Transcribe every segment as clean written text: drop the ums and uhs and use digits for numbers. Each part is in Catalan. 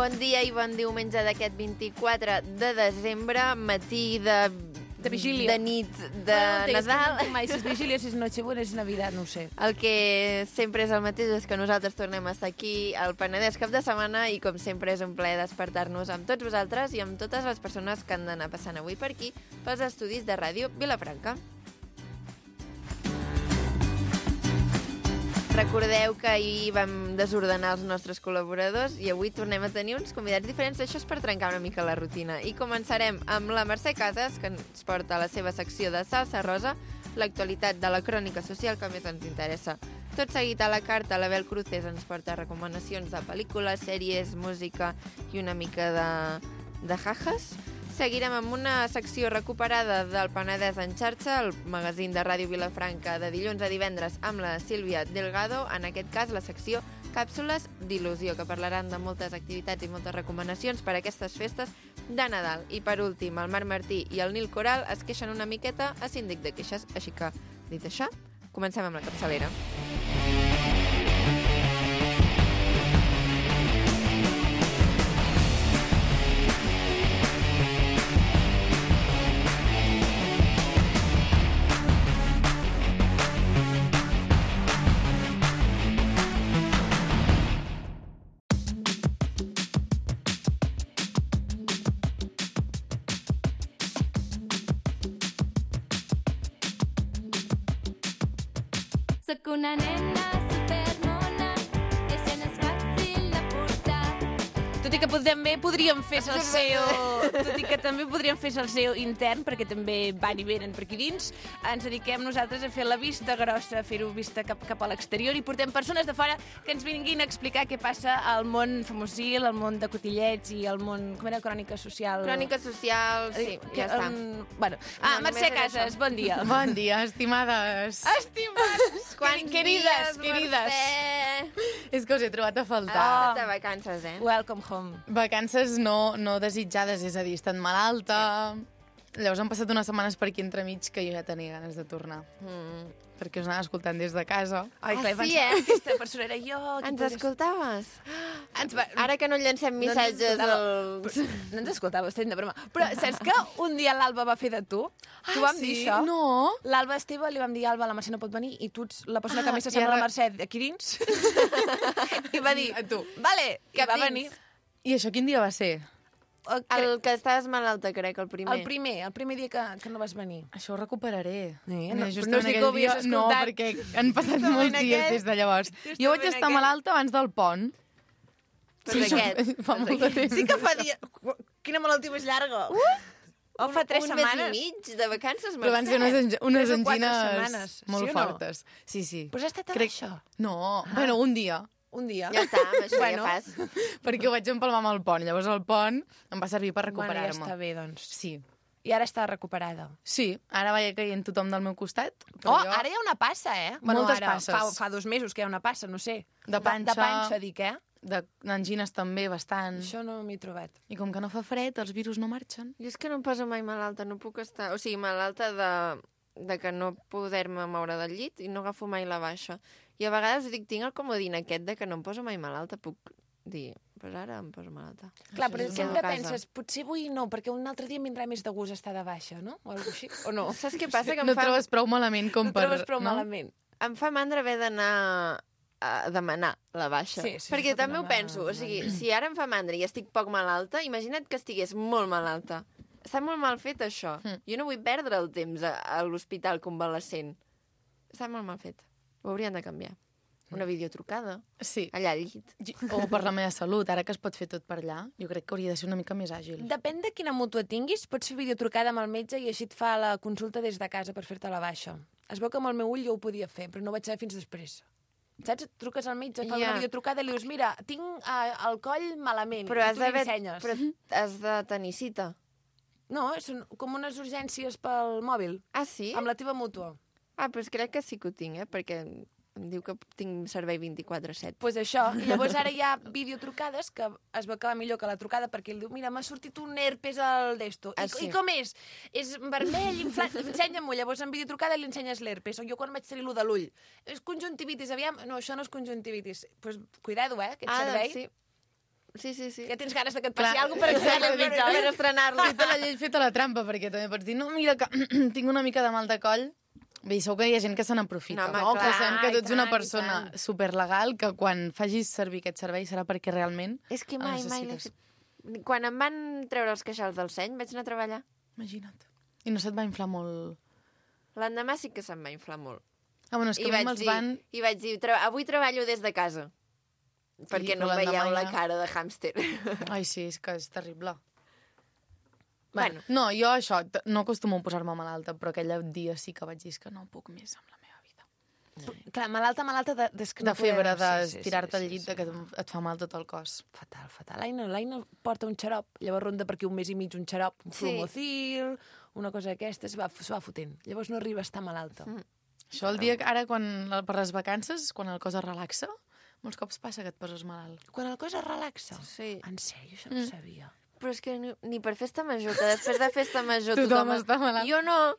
Bon dia i bon diumenge d'aquest 24 de desembre, matí de vigília. De nit, de Nadal. No mai si és vigília, si és Nochebuena, si és Navidad, no ho sé. El que sempre és el mateix és que nosaltres tornem a estar aquí al Penedès cap de setmana i com sempre és un plaer despertar-nos amb tots vosaltres i amb totes les persones que han d'anar passant avui per aquí pels estudis de Ràdio Vilafranca. Recordeu que ahir vam desordenar els nostres col·laboradors i avui tornem a tenir uns convidats diferents. Això és per trencar una mica la rutina. I començarem amb la Mercè Casas, que ens porta a la seva secció de Salsa Rosa, l'actualitat de la crònica social que més ens interessa. Tot seguit a la carta, l'Abel Cruces ens porta recomanacions de pel·lícules, sèries, música i una mica de jajas. Seguirem amb una secció recuperada del Penedès en xarxa, el magazín de Ràdio Vilafranca de dilluns a divendres amb la Sílvia Delgado, en aquest cas la secció Càpsules d'il·lusió, que parlaran de moltes activitats i moltes recomanacions per a aquestes festes de Nadal. I per últim, el Marc Martí i el Nil Coral es queixen una miqueta a Síndic de Queixes, així que, dit això, comencem amb la capçalera. Soc una nena supermona que se n'és fàcil de portar. Tot i que també podríem fer el SEO, tot i que també podríem fer el SEO intern, perquè també van i venen per aquí dins, ens dediquem nosaltres a fer la vista grossa, a fer-ho vista cap a l'exterior, i portem persones de fora que ens vinguin a explicar què passa al món famosil, al món de cotillets i al món, com era, crònica social? Crònica social, sí, ja està. Bueno. només Mercè era Casas, això. bon dia. Bon dia, estimades. Estimades! Querides. Mercè? És que us he trobat a faltar. De vacances, Welcome home. Vacances no desitjades, és a dir, he estat malalta. Llavors han passat unes setmanes per aquí entremig que jo ja tenia ganes de tornar. Perquè us anava escoltant des de casa. Ai, clar, sí, aquesta persona era jo. Ens escoltaves? Ara Ara que no llancem missatges als... No ens escoltava, estem de broma. Però saps que un dia l'Alba va fer de tu? Tu vam dir això? No. L'Alba Esteve li vam dir, Alba, la Mercè no pot venir, i tu ets la persona que més s'assembla a la Mercè aquí dins. I va dir, A tu. vale, que va dins. venir. I això quin dia va ser? El que estaves malalta, crec, el primer. El primer dia que no vas venir. Això ho recuperaré. No, Justament però no és dir que ho aquell havies dia, no, escoltat. perquè han passat Justament molts dies aquest. des de llavors. Jo vaig estar malalta abans del pont. Però d'aquest. Fa molt de temps. Sí que fa dia... Quina malaltia més llarga. O fa 3 un setmanes. mes i mig de vacances, Però van ser Mercè. unes 3 o 4 angines setmanes, molt sí o no? fortes. Sí. Però has estat a Crec- això? No, bueno, un dia. Un dia. Ja està, amb això Bueno. ja fas. Perquè ho vaig empalmar amb el pont. Llavors el pont em va servir per Bueno, ja recuperar-me. està bé, doncs. Sí. I ara està recuperada. Sí, ara vaig caient tothom del meu costat. Oh, ara hi ha una passa, eh? Moltes ara, passes. Fa 2 mesos que hi ha una passa, no sé. De panxa. De panxa, dic, eh? D'angines també, bastant. Això no m'hi he trobat. I com que no fa fred, els virus no marxen. Jo és que no em poso mai malalta, no puc estar... O sigui, malalta de que no poder-me moure del llit i no agafo mai la baixa. I a vegades dic, tinc el comodín aquest de que no em poso mai malalta, puc dir, pues ara em poso malalta. Clar, Això però és sempre una casa. penses, potser avui no, perquè un altre dia em vindrà més de gust estar de baixa, no? O alguna així, o no? Saps què passa? Que No et trobes prou malament com No per... trobes prou malament. Em fa mandra haver d'anar a demanar la baixa. Sí, perquè pot també ho anar penso. O sigui, si ara em fa mandra i estic poc malalta, imagina't que estigués molt malalta. Està molt mal fet, això. Jo no vull perdre el temps a l'hospital convalescent. Està molt mal fet. Ho haurien de canviar. Una videotrucada, Sí. allà al llit. O per la meva salut, ara que es pot fer tot per allà, jo crec que hauria de ser una mica més àgil. Depèn de quina mútua tinguis, pots fer videotrucada amb el metge i així et fa la consulta des de casa per fer-te la baixa. Es veu que amb el meu ull jo ho podia fer, però no ho vaig saber fins després. Saps? Et truques al metge, fa una videotrucada i li dius, mira, tinc el coll malament, Però i has tu li d'haver... ensenyes. Però has de tenir cita. No, són com unes urgències pel mòbil, Ah, sí? amb la teva mútua. Ah, doncs crec que sí que ho tinc, perquè em diu que tinc servei 24/7. Doncs pues això, i llavors ara hi ha videotrucades que es veu que va millor que la trucada perquè ell diu, mira, m'ha sortit un herpes al d'esto. Ah, I, sí. I com és? És vermell, inflat, ensenya-m'ho. Llavors en videotrucada li ensenyes l'herpes. O jo quan vaig tenir lo de l'ull. És conjuntivitis, aviam. No, això no és conjuntivitis. Doncs pues, cuidado, que et servei. Sí. Sí. Ja tens ganes de que et Clar, passi alguna cosa per exacte, Per estrenar-lo. Feta la llei, feta la trampa, perquè també pots dir, no, mira, que tinc una mica de mal de coll. Bé, segur que hi ha gent que se n'aprofita. No, home, Que clar, sabem que tu ets i una tant, persona i tant. superlegal, que quan facis servir aquest servei serà perquè realment És que el mai l'he necessites. fet. Quan em van treure els queixals del seny, vaig anar a treballar. Imagina't. I no se't va inflar molt... L'endemà sí que se'm va inflar molt. Ah, bueno, és que a mi me'ls van... I vaig dir, avui treballo des de casa. Perquè no però em veieu l'endemà la ja- cara de hàmster. Ai, sí, és que és terrible. Bueno, No, jo això, no acostumo a posar-me malalta, però aquell dia sí que vaig dir "És que no puc més amb la meva vida. Clar, malalta, De febre, de tirar-te al llit, de que et fa mal tot el cos. Fatal. L'Aina porta un xarop, llavors ronda per aquí un mes i mig un xarop, un Sí. Flumocil, una cosa d'aquesta, es va fotent. Llavors no arriba a estar malalta. Això el dia que ara, per les vacances, quan el cos es relaxa, molts cops passa que et poses malalt. Quan el cos es relaxa. Sí. En sèrio, això no ho sabia. però és que ni per festa major, que després de festa major Tothom està malalt. Jo no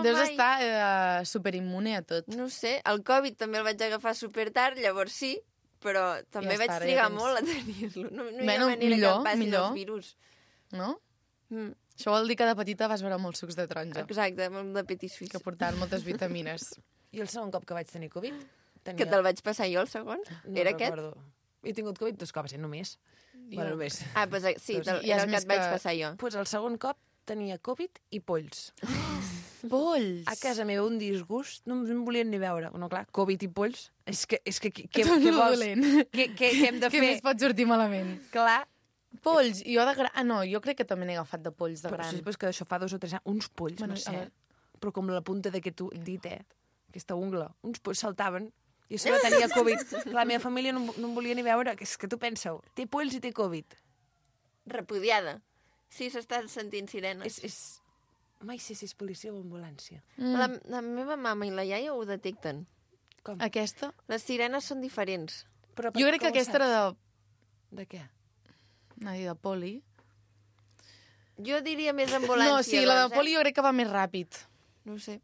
Deus mai. estar superimmune a tot. No ho sé, el Covid també el vaig agafar supertard, llavors sí, però també Ja vaig està, ara trigar ja tens. molt a tenir-lo. No hi Bueno, ha manera millor, que em passin millor. els virus. No? Mm, Això vol dir que de petita vas beure molts sucs de taronja, exacte, molt de petit suís. que portaven moltes vitamines. I el segon cop que vaig tenir Covid... Tenia... Que te'l vaig passar jo, el segon? No Era aquest? recordo. He tingut Covid 2 cops, només. Bueno, només. Ah, doncs sí, Doncs era ja és el que més et vaig que- passar jo. Pues el segon cop tenia Covid i polls. Polls! A casa meva un disgust, no em volien ni veure. No, clar, Covid i polls. És que què Tot què lo vols? dolent. Què hem de Què fer? més pot sortir malament? Clar. Polls. Jo de gran... Ah, no, jo crec que també n'he agafat de polls de Però gran. sí, però és que això fa 2 o 3 anys. Uns polls, Bueno, Mercè. a veure. Però com la punta d'aquest dit, aquesta ungla. Uns polls saltaven. I a sobre tenia Covid. La meva família no em volia ni veure. És que tu pensa-ho. Té polls i té Covid. Repudiada. Sí, s'està sentint sirenes. És... Mai sé si és policia o ambulància. La meva mama i la iaia ho detecten. Com? Aquesta? Les sirenes són diferents. Però Jo crec que aquesta era de... De què? de poli. Jo diria més ambulància. No, sí, la de doncs, poli jo crec que va més ràpid. No ho sé.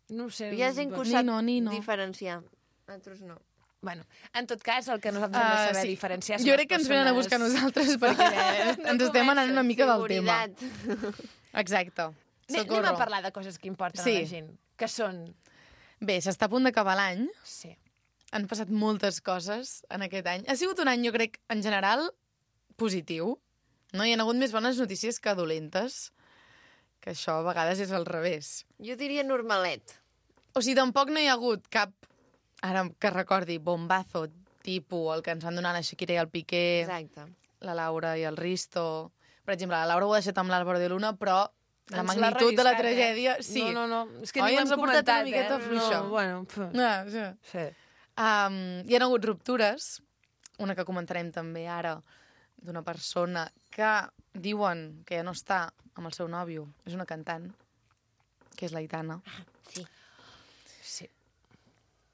No ho sé. Hi ha gent que ho Ni sap no, ni no. diferenciar. Altres no. Bueno, en tot cas, el que nosaltres hem de saber diferenciar són Jo crec les que ens venen a buscar nosaltres perquè ens estem anant una mica del tema. Seguretat. Exacte. Anem Socorro. a parlar de coses que importen Sí. a la gent. Que són... Bé, s'està a punt d'acabar l'any. Sí. Han passat moltes coses en aquest any. Ha sigut un any, jo crec, en general, positiu. No? Hi ha hagut més bones notícies que dolentes, que això a vegades és al revés. Jo diria normalet. O sigui, tampoc no hi ha hagut cap, ara que recordi, bombazo, tipus el que ens van donar la Shakira i el Piqué, Exacte. la Laura i el Risto. Per exemple, la Laura ho ha deixat amb l'Àlvaro de Luna, però la Ens l'ha magnitud de la relliscat, tragèdia... Sí. No. És que Oi, ni ho ens hem ha portat comentat, una miqueta fluixa. No, bueno, Ah, sí. sí. Hi ha hagut ruptures, una que comentarem també ara, d'una persona que diuen que ja no està amb el seu nòvio, és una cantant, que és l'Aitana. Sí. Sí.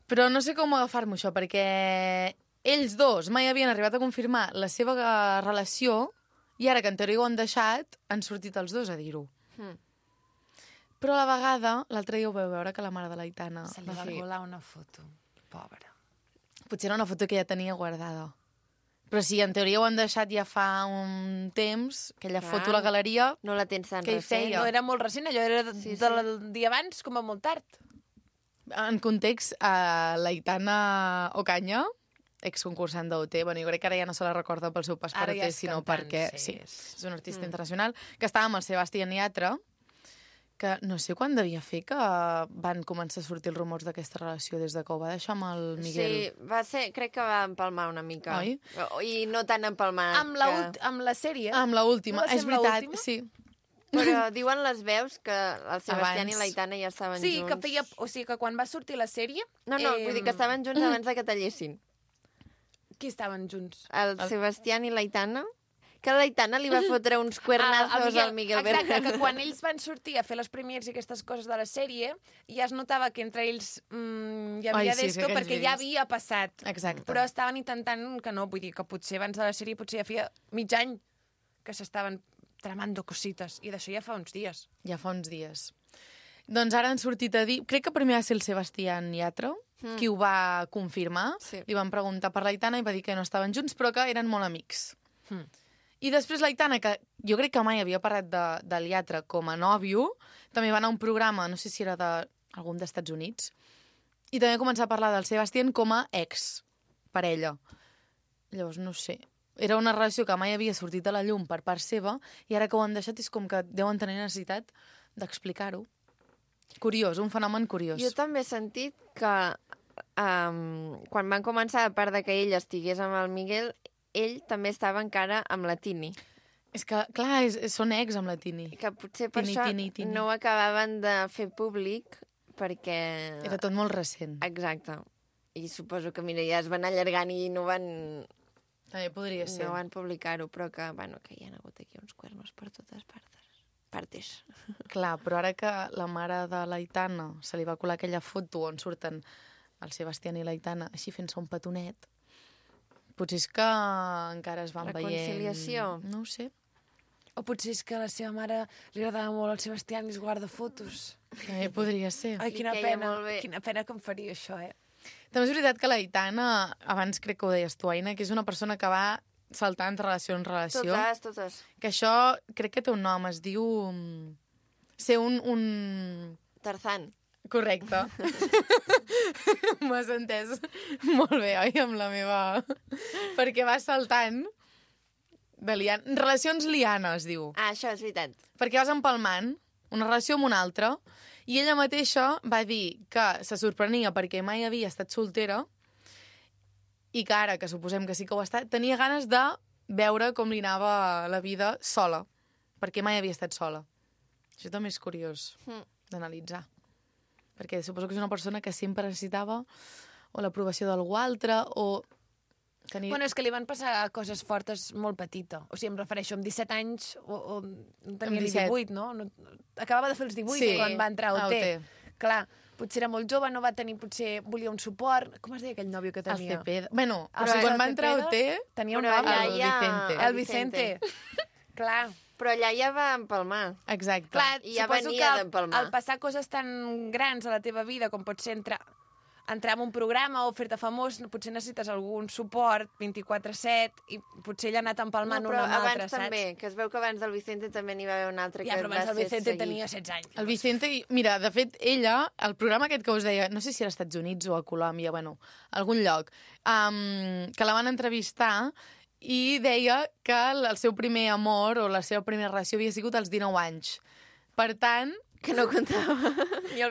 Però no sé com agafar-m'ho això, perquè ells dos mai havien arribat a confirmar la seva relació i ara que en teoria ho han deixat, han sortit els dos a dir-ho. Però a la vegada, l'altre dia ho vau veure que la mare de l'Aitana... Se li va colar una foto. Pobra. Potser era una foto que ja tenia guardada. Però sí, en teoria ho han deixat ja fa un temps, aquella foto a la galeria... No la tens tan Què hi recent. feia? No, era molt recent, allò era Sí, sí. del dia abans, com a molt tard. En context, l'Aitana Ocaña, exconcursant d'OT, bueno, jo crec que ara ja no se la recorda pel seu pas per Ara ja OT, és sinó cantant, perquè sí. és un artista internacional, que estava amb el Sebastián Yatra, que no sé quan devia fer que van començar a sortir els rumors d'aquesta relació des de que ho va deixar amb el Miguel. Sí, va ser, crec que va empalmar una mica. Oi? I no tan empalmar. Amb la sèrie. Amb l'última, No va ser és amb veritat, l'última? sí. Però diuen les veus que el Sebastián Abans. i l'Aitana ja estaven Sí, junts. que feia... O sigui, que quan va sortir la sèrie... No, vull dir que estaven junts abans de que tallessin. Qui estaven junts? El Sebastián i l'Aitana. Que l'Aitana li va fotre uns cuernazos al Miguel Exacte, Berger. que quan ells van sortir a fer les premiers i aquestes coses de la sèrie, ja es notava que entre ells hi havia Ai, sí, d'esto, aquells perquè ja vídeos. havia passat. Exacte. Però estaven intentant que no, vull dir que potser abans de la sèrie potser ja feia mig any que s'estaven tramando cosites, i d'això ja fa uns dies. Ja fa uns dies. Doncs ara han sortit a dir... Crec que primer va ser el Sebastián Yatra, qui ho va confirmar. Sí. Li van preguntar per l'Aitana i va dir que no estaven junts, però que eren molt amics. I després l'Aitana, que jo crec que mai havia parlat del Llatre com a nòvio, també va anar a un programa, no sé si era d'algun d'Estats Units, i també va començar a parlar del Sebastián com a ex-parella. Llavors, no sé, era una relació que mai havia sortit a la llum per part seva, i ara que ho han deixat és com que deuen tenir necessitat d'explicar-ho. Curiós, un fenomen curiós. Jo també he sentit que quan van començar, a part de que ell estigués amb el Miguel, ell també estava encara amb la Tini. És que, clar, són ex amb la Tini. Que potser per Tini, això Tini. no ho acabaven de fer públic, perquè... Era tot molt recent. Exacte. I suposo que, mira, ja es van allargant i no van... També podria ser. No van publicar-ho, però que, bueno, que hi ha hagut aquí uns cuernos per totes partes. Clar, però ara que la mare de l'Aitana se li va colar aquella foto on surten el Sebastián i l'Aitana així fent-se un petonet, potser és que encara es van veient... Reconciliació. No ho sé. O potser és que a la seva mare li agradava molt el Sebastián i es guarda fotos. També podria ser. Ai, I quina queia pena. molt bé. Quina pena que em faria això, També és veritat que l'Aitana, abans crec que ho deies tu, Aina, que és una persona que va saltant de relació en relació. Totes. Que això crec que té un nom, es diu... Ser un... Tarzan. Correcte. M'has entès molt bé, oi? Amb la meva... Perquè va saltant de relacions liana, es diu. Ah, això és veritat. Perquè vas empalmant una relació amb una altra i ella mateixa va dir que se sorprenia perquè mai havia estat soltera i que ara, que suposem que sí que ho ha estat, tenia ganes de veure com li anava la vida sola, perquè mai havia estat sola. Això també és curiós d'analitzar. Perquè suposo que és una persona que sempre necessitava o l'aprovació d'algú altre o... Tenir... Bueno, és que li van passar coses fortes molt petita. O sigui, em refereixo, amb 17 anys o tenia ni 18, no? Acabava de fer els 18 quan va entrar a OT. Clar, potser era molt jove, no va tenir, potser volia un suport. Com es deia aquell nòvio que tenia? El Cepeda. Bueno, però quan va entrar a OT... Tenia un Però nom. allà ja... Vicente. El Vicente. Clar. Però allà ja va empalmar. Exacte. Clar, I ja suposo venia que d'empalmar. al passar coses tan grans a la teva vida com pot ser entrar en un programa o fer-te famós, potser necessites algun suport 24/7 i potser ell ha anat empalmant una amb l'altra, abans també, que es veu que abans del Vicente també n'hi va haver un altre Ja, que però va abans el ser Vicente seguit. tenia 16 anys. El Vicente, mira, de fet, ella, el programa aquest que us deia, no sé si era als Estats Units o a Colòmbia, bueno, algun lloc, que la van entrevistar i deia que el seu primer amor o la seva primera relació havia sigut als 19 anys. Per tant... Que no comptava.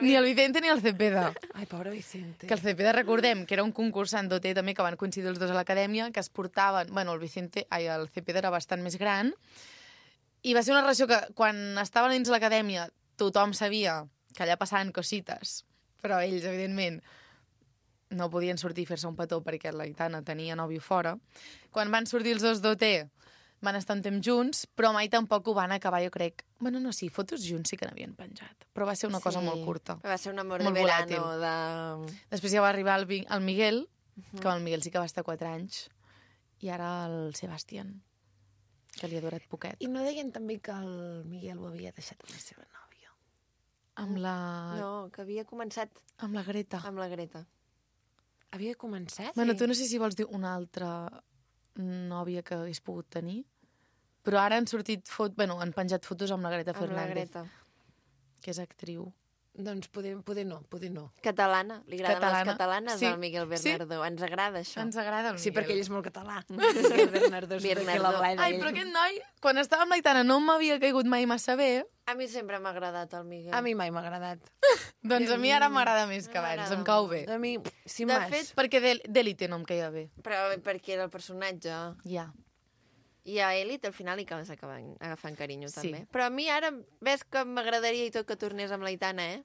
Ni el Vicente ni el Cepeda. Ai, pobre Vicente. Que el Cepeda, recordem, que era un concursant d'OT també, que van coincidir els dos a l'acadèmia, que es portaven... Bueno, el Cepeda era bastant més gran, i va ser una relació que, quan estaven dins l'acadèmia, tothom sabia que allà passaven cosites, però ells, evidentment, no podien sortir i fer-se un petó perquè l'Aitana tenia nòvio fora. Quan van sortir els dos d'OT, van estar un temps junts, però mai tampoc ho van acabar, jo crec. Bueno, no, sí, fotos junts sí que n'havien penjat, però va ser una cosa molt curta. Va ser un amor Molt de verano. volàtil. Després ja va arribar el Miguel, que el Miguel sí que va estar 4 anys, i ara el Sebastián, que li ha durat poquet. I no deien també que el Miguel ho havia deixat amb la seva nòvia? Amb la... No, que havia començat Amb la Greta. amb la Greta. Havia començat? Bueno, tu no sé si vols dir una altra nòvia que hagués pogut tenir, però ara han sortit han penjat fotos amb la Greta Amb la Fernández, Greta. que és actriu. Doncs poder no. Catalana. Li agraden Catalana. les catalanes Sí. al Miguel Bernardo. Ens agrada això. Ens agrada el Sí, Miguel. perquè ell és molt català. Miguel Bernardo. Bernardo. Ai, però aquest noi, quan estava amb l'Aitana, no m'havia caigut mai massa bé. A mi sempre m'ha agradat el Miguel. A mi mai m'ha agradat. Doncs a mi ara m'agrada més que abans, em cau bé. A mi, sin De más. fet, Perquè d'Elite no em caia bé. Però perquè era el personatge. Ja. I a Elite al final hi acabes agafant carinyo, Sí. també. Però a mi ara ves que m'agradaria i tot que tornés amb l'Aitana, eh?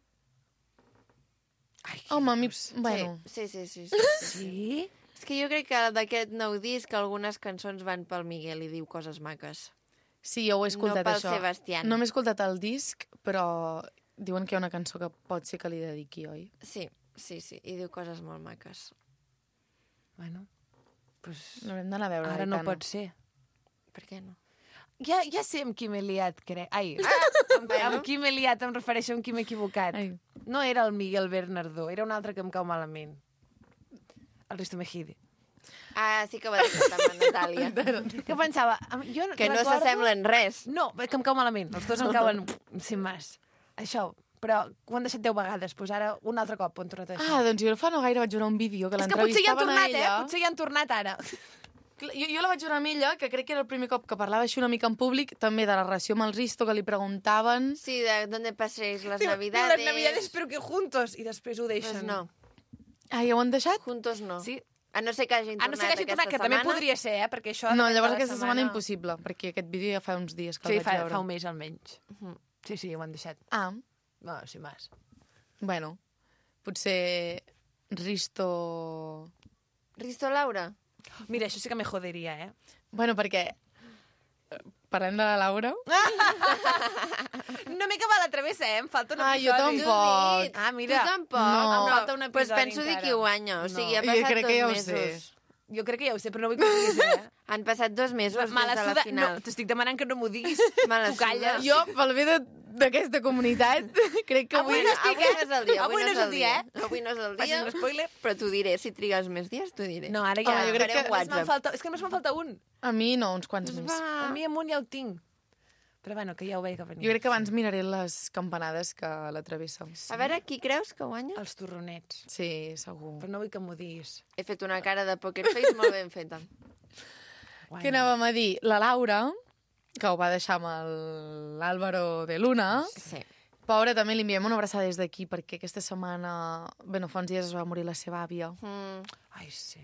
Ai, Home, a mi... Bueno, Sí. Sí? És que jo crec que d'aquest nou disc algunes cançons van pel Miguel i diu coses maques. sí, jo ho he escoltat, No pel això. Sebastián. No m'he escoltat el disc, però diuen que hi ha una cançó que pot ser que li dediqui, oi? Sí, i diu coses molt maques. Bueno, pues... L'haurem d'anar a veure, Ara no l'Aitana. pot ser. Per què no? Ja sé amb qui m'he liat, crec. Ai, amb qui m'he liat, em refereixo amb qui m'he equivocat. Ai. No era el Miguel Bernardo, era un altre que em cau malament. El Risto Mejide. Ah, sí que ho ha deixat amb la Natàlia. Que pensava... Jo Que no recordo- s'assemblen res. No, que em cau malament. Els dos em cauen sin más. Això, però ho han deixat 10 vegades. Doncs ara, un altre cop ho han tornat a deixar. Ah, doncs jo fa no gaire vaig veure un vídeo que és que potser hi han l'entrevistaven a tornat, ella. Potser hi han tornat ara. Jo la vaig veure amb ella, que crec que era el primer cop que parlava així una mica en públic, també de la relació amb el Risto, que li preguntaven... Sí, de dónde paséis las Diu, navidades. les navidades però que juntos. I després ho deixen. Pues no, Ah, ja ho han deixat? juntos no. Sí. A no ser que hagin A tornat no ser que hagi aquesta tornat, que també setmana. podria ser, perquè això... No, depèn de llavors la aquesta setmana impossible, perquè aquest vídeo ja fa uns dies que Sí, el vaig veure. fa un mes almenys. Sí, sí, ho han deixat. Ah, No, sin más. bueno, potser Risto... Risto Laura? Mira, això sí que me joderia, eh? Bueno, perquè... Parlant de la Laura... No m'he acabat la travessa, eh? Em falta un Ah, jo episodi. tampoc. Ah, mira. Tu tampoc? No. Em falta un Pues episodi penso dir encara. qui guanya. O sigui, ha No. Jo passat crec que ja ho 2 sé. mesos. Jo crec que ja ho sé, però no vull que ho diguis, eh? Han passat 2 mesos Mala des de la suda... final. No, t'estic demanant que no m'ho diguis. Mala Tu calles. Jo, pel bé d'aquesta comunitat, crec que Avui avui... no és el dia. Avui no és el dia, eh? Avui no és el Facis dia. un spoiler. Però t'ho diré. Si trigues més dies, t'ho diré. No, ara ja... Home, jo crec que- Només me'n falta... És que només me'n falta un. A mi no, uns quants més. A mi amunt ja ho tinc. Però bueno, que ja ho veig que venia. Jo crec que abans miraré les campanades que la travessa. A veure, qui creus que guanya? Els torronets. Sí, segur. Però no vull que m'ho diguis. He fet una cara de poker face molt ben feta. Què anàvem a dir? La Laura, que ho va deixar amb l'Àlvaro de Luna. Sí. Pobra, també li enviem una abraçada des d'aquí, perquè aquesta setmana, bé, no fa uns dies es va morir la seva àvia. Ai, sí.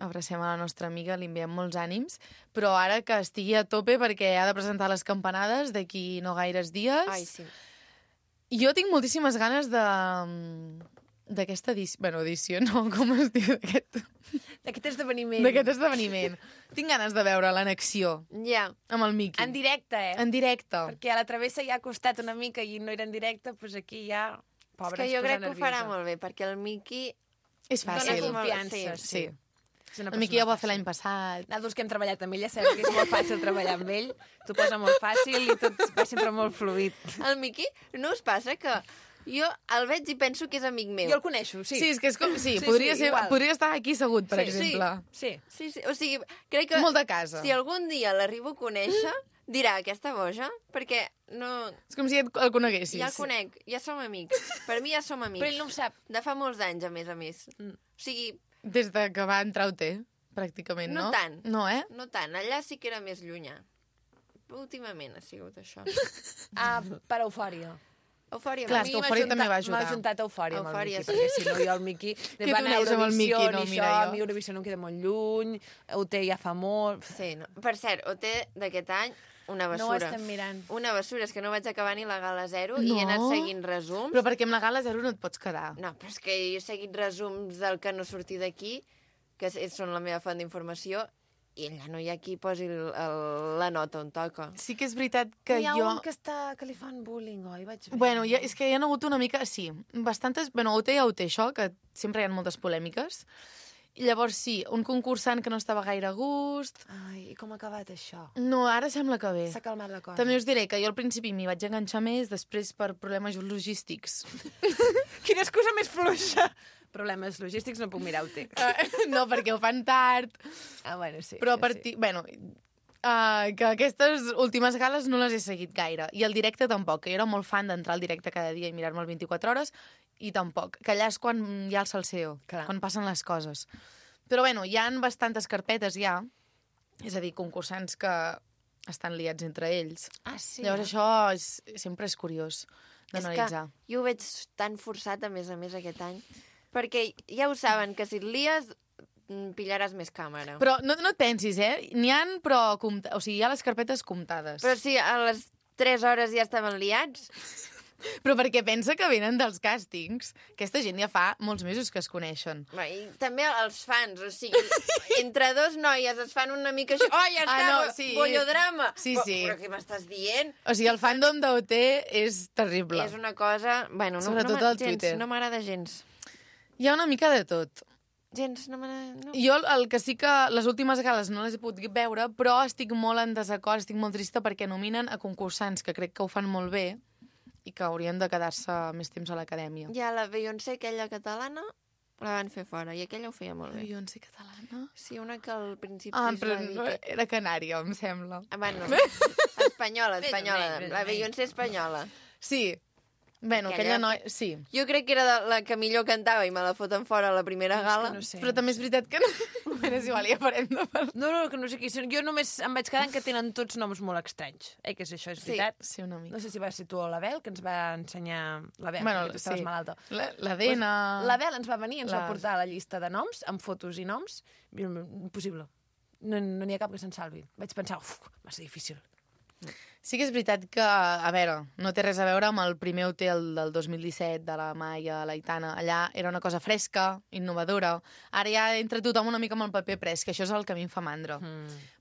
Abracem a la nostra amiga, li enviem molts ànims, però ara que estigui a tope perquè ha de presentar les campanades d'aquí no gaires dies. Ai, sí. Jo tinc moltíssimes ganes d'aquesta edició, bueno, edició no, com es diu, D'aquest esdeveniment. d'aquest esdeveniment. Tinc ganes de veure l'annexió Ja. amb el Miqui. En directe, eh? En directe. Perquè a la travessa ja ha costat una mica i no era en directe, doncs aquí ja... Pobra, És que es jo posa crec que ho farà nerviosa. molt bé, perquè el Miqui... És Dóna fàcil. confiança, Sí. Sí. És una El Miqui ja ho va fer persona l'any passat. Nosaltres que hem treballat amb ell, ja sabem que és molt fàcil treballar amb ell. T'ho posa molt fàcil i tot va sempre molt fluid. El Miqui, no us passa que jo el veig i penso que és amic meu? Jo el coneixo, sí. Sí, és que és com... Sí, Sí, podria, sí, ser, igual. podria estar aquí segut, per Sí, exemple. Sí. Sí, sí, o sigui, crec que... Molt de casa. Si algun dia l'arribo a conèixer, dirà, aquesta boja, perquè no... És com si el coneguessis. Ja el conec, ja som amics. Per mi ja som amics. Però ell no ho sap. De fa molts anys, a més. O sigui, Des de que va entrar a UT, pràcticament, no? No tant. No, eh? no tant. Allà sí que era més llunyà. Últimament ha sigut això. Ah, per eufòria. Eufòria. Clar, a és mi que Eufòria també va ajudar. M'ha juntat Eufòria amb el Eufòria, Miqui, sí. perquè si no jo el Miqui... Que tu anaves amb el Miqui, no, ni mira, això, jo. a mi Eurovisió no em queda molt lluny, UT ja fa molt... Sí, no. Per cert, OT d'aquest any, una No ho bessura. estem mirant. Una bessura, és que no vaig acabar ni la gala 0 i he anat No. seguint resums. Però perquè amb la gala 0 no et pots quedar. No, però és que he seguit resums del que no surti d'aquí, que són la meva font d'informació, i allà no hi ha qui posi la nota on toca. Sí que és veritat que Hi ha jo... un que li fan bullying, oi? Vaig veure. Bueno, és que hi ha hagut una mica... Sí, bastantes... Bueno, UT ja UT, això, que sempre hi ha moltes polèmiques. I llavors, sí, un concursant que no estava gaire a gust... Ai, i com ha acabat això? No, ara sembla que bé. S'ha calmat la cosa. També us diré que jo al principi m'hi vaig enganxar més, després per problemes logístics. Quina excusa més fluixa! Problemes logístics, no puc mirar UT. No, perquè ho fan tard. Ah, bueno, sí. Però a sí. partir... Bueno, que aquestes últimes gales no les he seguit gaire. I el directe tampoc, que jo era molt fan d'entrar al directe cada dia i mirar-me el 24 hores, i tampoc. Que allà és quan hi ha el salseo, Clar. quan passen les coses. Però bueno, hi han bastantes carpetes ja, és a dir, concursants que estan liats entre ells. Ah, sí? Llavors això sempre és curiós d'analitzar. És que jo ho veig tan forçat, a més, aquest any, perquè ja ho saben, que si et lies pillaràs més càmera. Però no et pensis, N'hi han, però... O sigui, hi ha les carpetes comptades. Però si a les 3 hores ja estaven liats, Però perquè pensa que venen dels càstings. Aquesta gent ja fa molts mesos que es coneixen. i també els fans, o sigui, entre dos noies es fan una mica així, oh, ja està, no, sí. bollodrama. Sí, sí. Però què m'estàs dient? O sigui, el fandom d'OT és terrible. És una cosa... Bueno, Sobretot al Twitter. No m'agrada gens. Hi ha una mica de tot. Gens, no m'agrada... No. Jo el que sí que les últimes gales no les he pogut veure, però estic molt en desacord, estic molt trista perquè nominen a concursants que crec que ho fan molt bé i que haurien de quedar-se més temps a l'acadèmia. Hi ha la Beyoncé, aquella catalana, La van fer fora, i aquella ho feia molt bé. Beyoncé catalana? Sí, una que al principi Però es va dir no, era canària, em sembla. Bueno, espanyola. La Beyoncé espanyola. Sí. Bueno, aquella noia... Sí. Jo crec que era la que millor cantava i me la foten fora a la primera gala. No sé. Però també és veritat que no... Bueno, és igual, ja farem de parlar. No, que no sé qui són. Jo només em vaig quedant que tenen tots noms molt estranys. Que és això, és veritat? Sí, una mica. No sé si va ser tu o l'Abel, que ens va ensenyar... L'Abel, Bueno, perquè tu estaves malalta. La Dena... L'Abel ens va venir i ens va portar la llista de noms, amb fotos i noms. Impossible. No n'hi ha cap que se'n salvi. Vaig pensar, va ser difícil. Sí que és veritat que, a veure, no té res a veure amb el primer hotel del 2017 de la Maia, la Aitana. Allà era una cosa fresca, innovadora. Ara ja entra tothom una mica amb el paper pres, que això és el que a mi em fa mandra.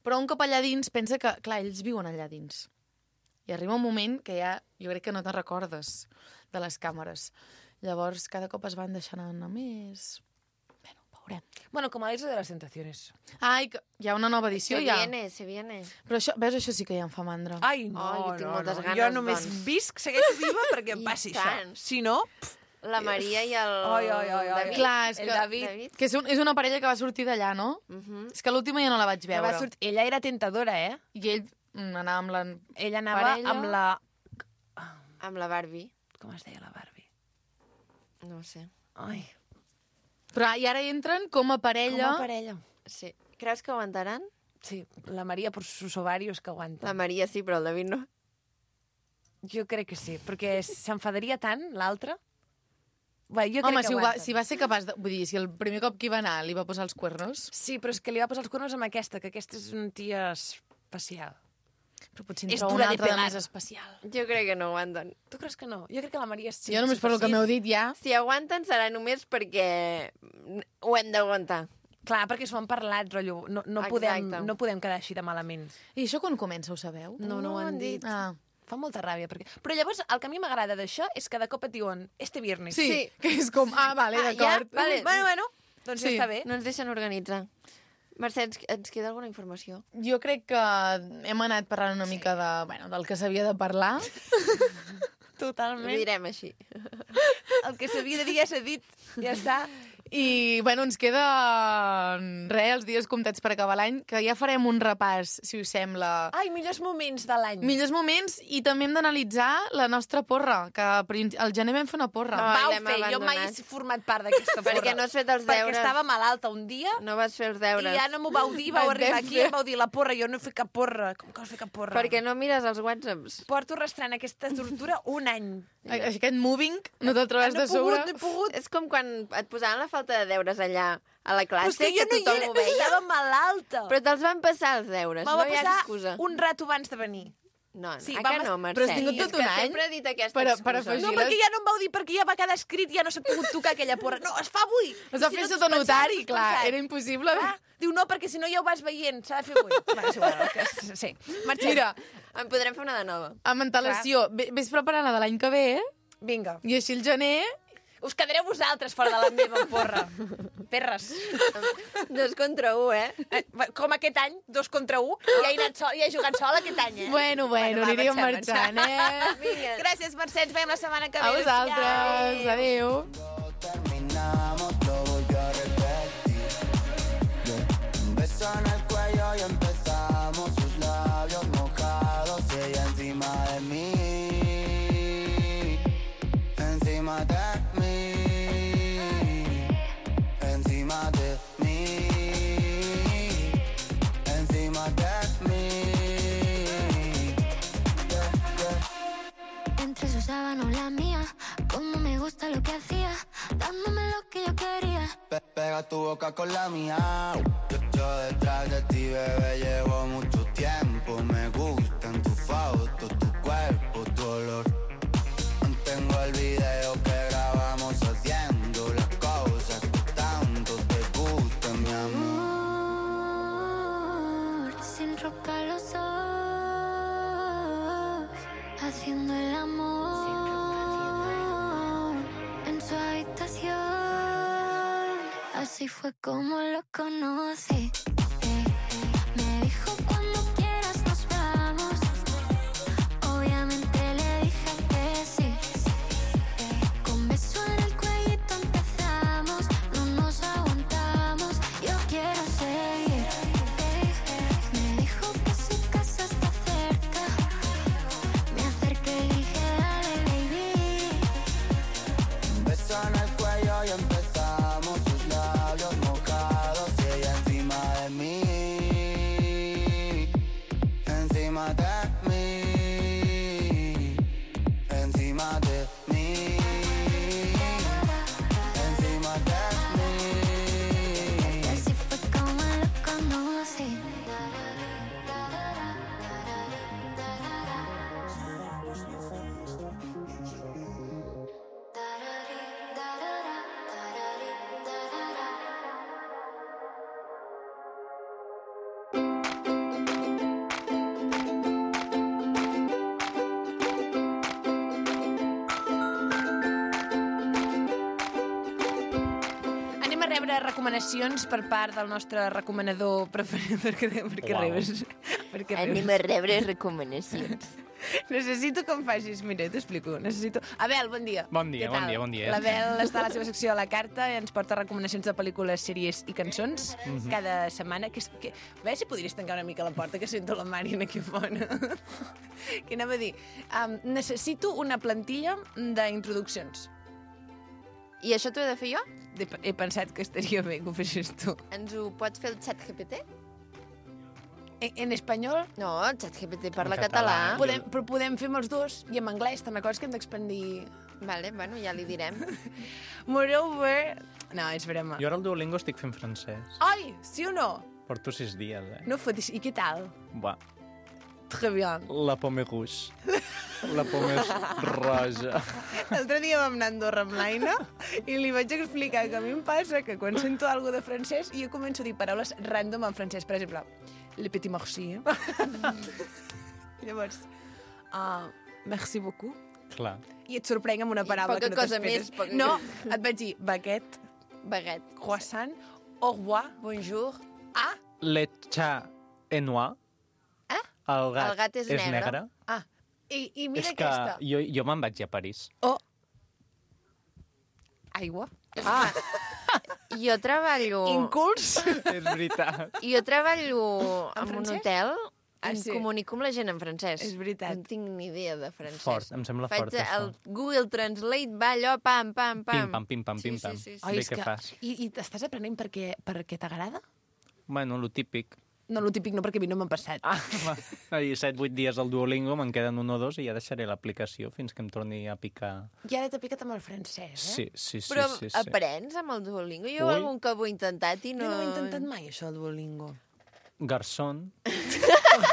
Però un cop allà dins pensa que, clar, ells viuen allà dins. I arriba un moment que ja, jo crec que no te'n recordes de les càmeres. Llavors, cada cop es van deixant anar més... Veurem. Bueno, com a l'Isa de les Tentaciones. Ai, que hi ha una nova edició, ja. Se viene. Però això, veus, això sí que ja em fa mandra. Ai, no, jo tinc moltes ganes, Jo només doncs. visc, segueixo viva perquè em I passi tant. això. Si no... La Maria i el David. Clar, és El que, David. que és una parella que va sortir d'allà, no? És que l'última ja no la vaig veure. Ella era tentadora, eh? I ell anava amb la Ella anava parella. amb la... Amb la Barbie. Com es deia la Barbie? No ho sé. Ai, Però i ara entren com a parella. com a parella. Sí. Creus que aguantaran? Sí, la Maria per sus ovarios que aguanta. La Maria sí, però el David no. Jo crec que sí, perquè s'enfadaria tant, l'altre. Bé, jo crec Home, que aguanta. si va ser capaç de... Vull dir, si el primer cop que hi va anar li va posar els cuernos... Sí, però és que li va posar els cornos amb aquesta, que aquesta és una tia especial. Però potser en És troba dura una de altra de pelar. més especial. Jo crec que no aguanten. Tu creus que no? Jo crec que la Maria sí. Jo només per lo que m'heu dit ja... Si aguanten serà només perquè ho hem d'aguantar. Clar, perquè s'ho han parlat, rotllo. No podem quedar així de malament. I això quan comença, ho sabeu? No ho han dit. Ah. Fa molta ràbia. Però llavors, el que a mi m'agrada d'això és que de cop et diuen este viernes. Sí, que és com... Ah, vale, d'acord. ja? Vale. Bueno, doncs Sí. ja està bé. No ens deixen organitzar. Mercè, ens queda alguna informació? Jo crec que hem anat parlant una mica de, bueno, del que s'havia de parlar. Ho Totalment. direm així. El que s'havia de dir ja s'ha dit. Ja està. I, bueno, ens queda els dies comptats per acabar l'any, que ja farem un repàs, si us sembla. Ai, millors moments de l'any. Millors moments, i també hem d'analitzar la nostra porra, que al gener vam fer una porra. No. Vau l'hem fer, jo mai abandonat. he format part d'aquesta porra. Perquè no has fet els deures. Perquè estava malalta un dia No vas fer els deures. i ja no m'ho vau dir, vau Vam arribar fer. aquí i em vau dir la porra, jo no he fet cap porra. Com que vas fer cap porra? Perquè no mires els whatsapps. Porto arrastrant aquesta tortura un any. Aquest moving no te'l trobes de sobre. No he pogut. És com quan et posaven la falta de deures allà a la Però és classe, que jo no hi tothom era, ho veia. estava malalta. Però te'ls van passar els deures, Me'l no va hi ha passar excusa. un rato abans de venir. No, Sí, que vam no, es- Mercè. Però has tingut tot És que un any sempre he dit aquesta per excusa. afegir No, perquè ja no em vau dir, perquè ja va quedar escrit i ja no s'ha pogut tocar aquella porra. No, es fa avui. Es va I fer si no sota t'has notari, pensat, clar, t'has pensat. era impossible. Ah, diu, no, perquè si no ja ho vas veient, s'ha de fer avui. Va, és igual, sí. Marxem. Mira, En podrem fer una de nova. amb antelació, ves preparant la de l'any que ve, Vinga. i així el gener... Us quedareu vosaltres fora de la meva porra. Perres. 2 contra 1, eh? Com aquest any, 2 contra 1, ja he jugat sol aquest any, eh? Bueno, va, aniríem marxem. marxant, eh? Vinga. Gràcies, Mercè, ens veiem la setmana que ve. A vosaltres, Adéu. adéu. Terminamos, lo volví a repetir. Un beso en el cuello y empezamos, sus labios mojados, ella encima de mí, encima de mí, encima de mí, encima de mí. Entre sus sábanas la mía, como me gusta lo que hacía, dándome lo que yo quería. Pega tu boca con la mía. Yo detrás de ti, bebé, llevo mucho tiempo. Me gustan tus fotos, tu cuerpo, tu olor. Mantengo el video que grabamos haciendo las cosas que tanto te gustan, mi amor. Sin ropa los dos, haciendo el amor en su habitación. Así fue como lo conocí. Me dijo cuando quieras nos vamos. Obviamente le dije que sí. Con beso en el cuellito empezamos. No rebre recomanacions per part del nostre recomanador preferit. Per què ribes? Per què ribes? Anem a rebre recomanacions. Necessito que em facis... Mira, t'explico. Abel, bon dia. Bon dia, Què tal? bon dia. L'Abel està a la seva secció a la carta i ens porta recomanacions de pel·lícules, sèries i cançons cada setmana. A veure si podries tancar una mica la porta, que sento la Màriana aquí fora. Què anava a dir? Necessito una plantilla d'introduccions. I això t'ho he de fer jo? He pensat que estaria bé que ho fessis tu. Ens ho pots fer el xat GPT? En espanyol? No, el xat GPT parla En català. català. Però podem fer amb els dos i en anglès. Te'n recordes que hem d'expandir... Vale, bueno, ja li direm. Moreover... No, és broma. Jo ara al Duolingo estic fent francès. Ai, sí o no? Porto 6 dies, No fotis. I què tal? Buah. Très bien. La pomme rouge. La pomme roja. L'altre dia vam anar a Andorra amb l'Aina i li vaig explicar que a mi em passa que quan sento alguna de francès jo començo a dir paraules random en francès. Per exemple, le petit merci. Llavors, merci beaucoup. Clar. I et sorprenc amb una paraula poca que no cosa t'esperes. més, No, et vaig dir baguette, Baguette. croissant, au revoir, Bonjour. Le chat est noir. El gat, és negre. I mira És que aquesta. jo me'n vaig a París. Aigua. Jo treballo... Inculs. És veritat. Jo treballo En en un francès? hotel Ah, i sí. comunico amb la gent en francès. És veritat. No tinc ni idea de francès. Fort, em sembla fort, Faig el això. Google Translate, va allò, pam, pam, pam. Pim-pam, pim-pam, pim-pam. Sí. Ai, Bé és que que... fas. I t'estàs aprenent perquè t'agrada? Bueno, lo típic. No, lo típic no, perquè a mi no m'han passat. Ahir 7-8 dies al Duolingo, me'n queden 1 o 2 i ja deixaré l'aplicació fins que em torni a picar. I ara t'ha picat amb el francès, eh? Sí. Però sí. aprens amb el Duolingo? Jo Ui. algun cop ho he intentat i no... Jo no ho he intentat mai, això, el Duolingo. Garçon,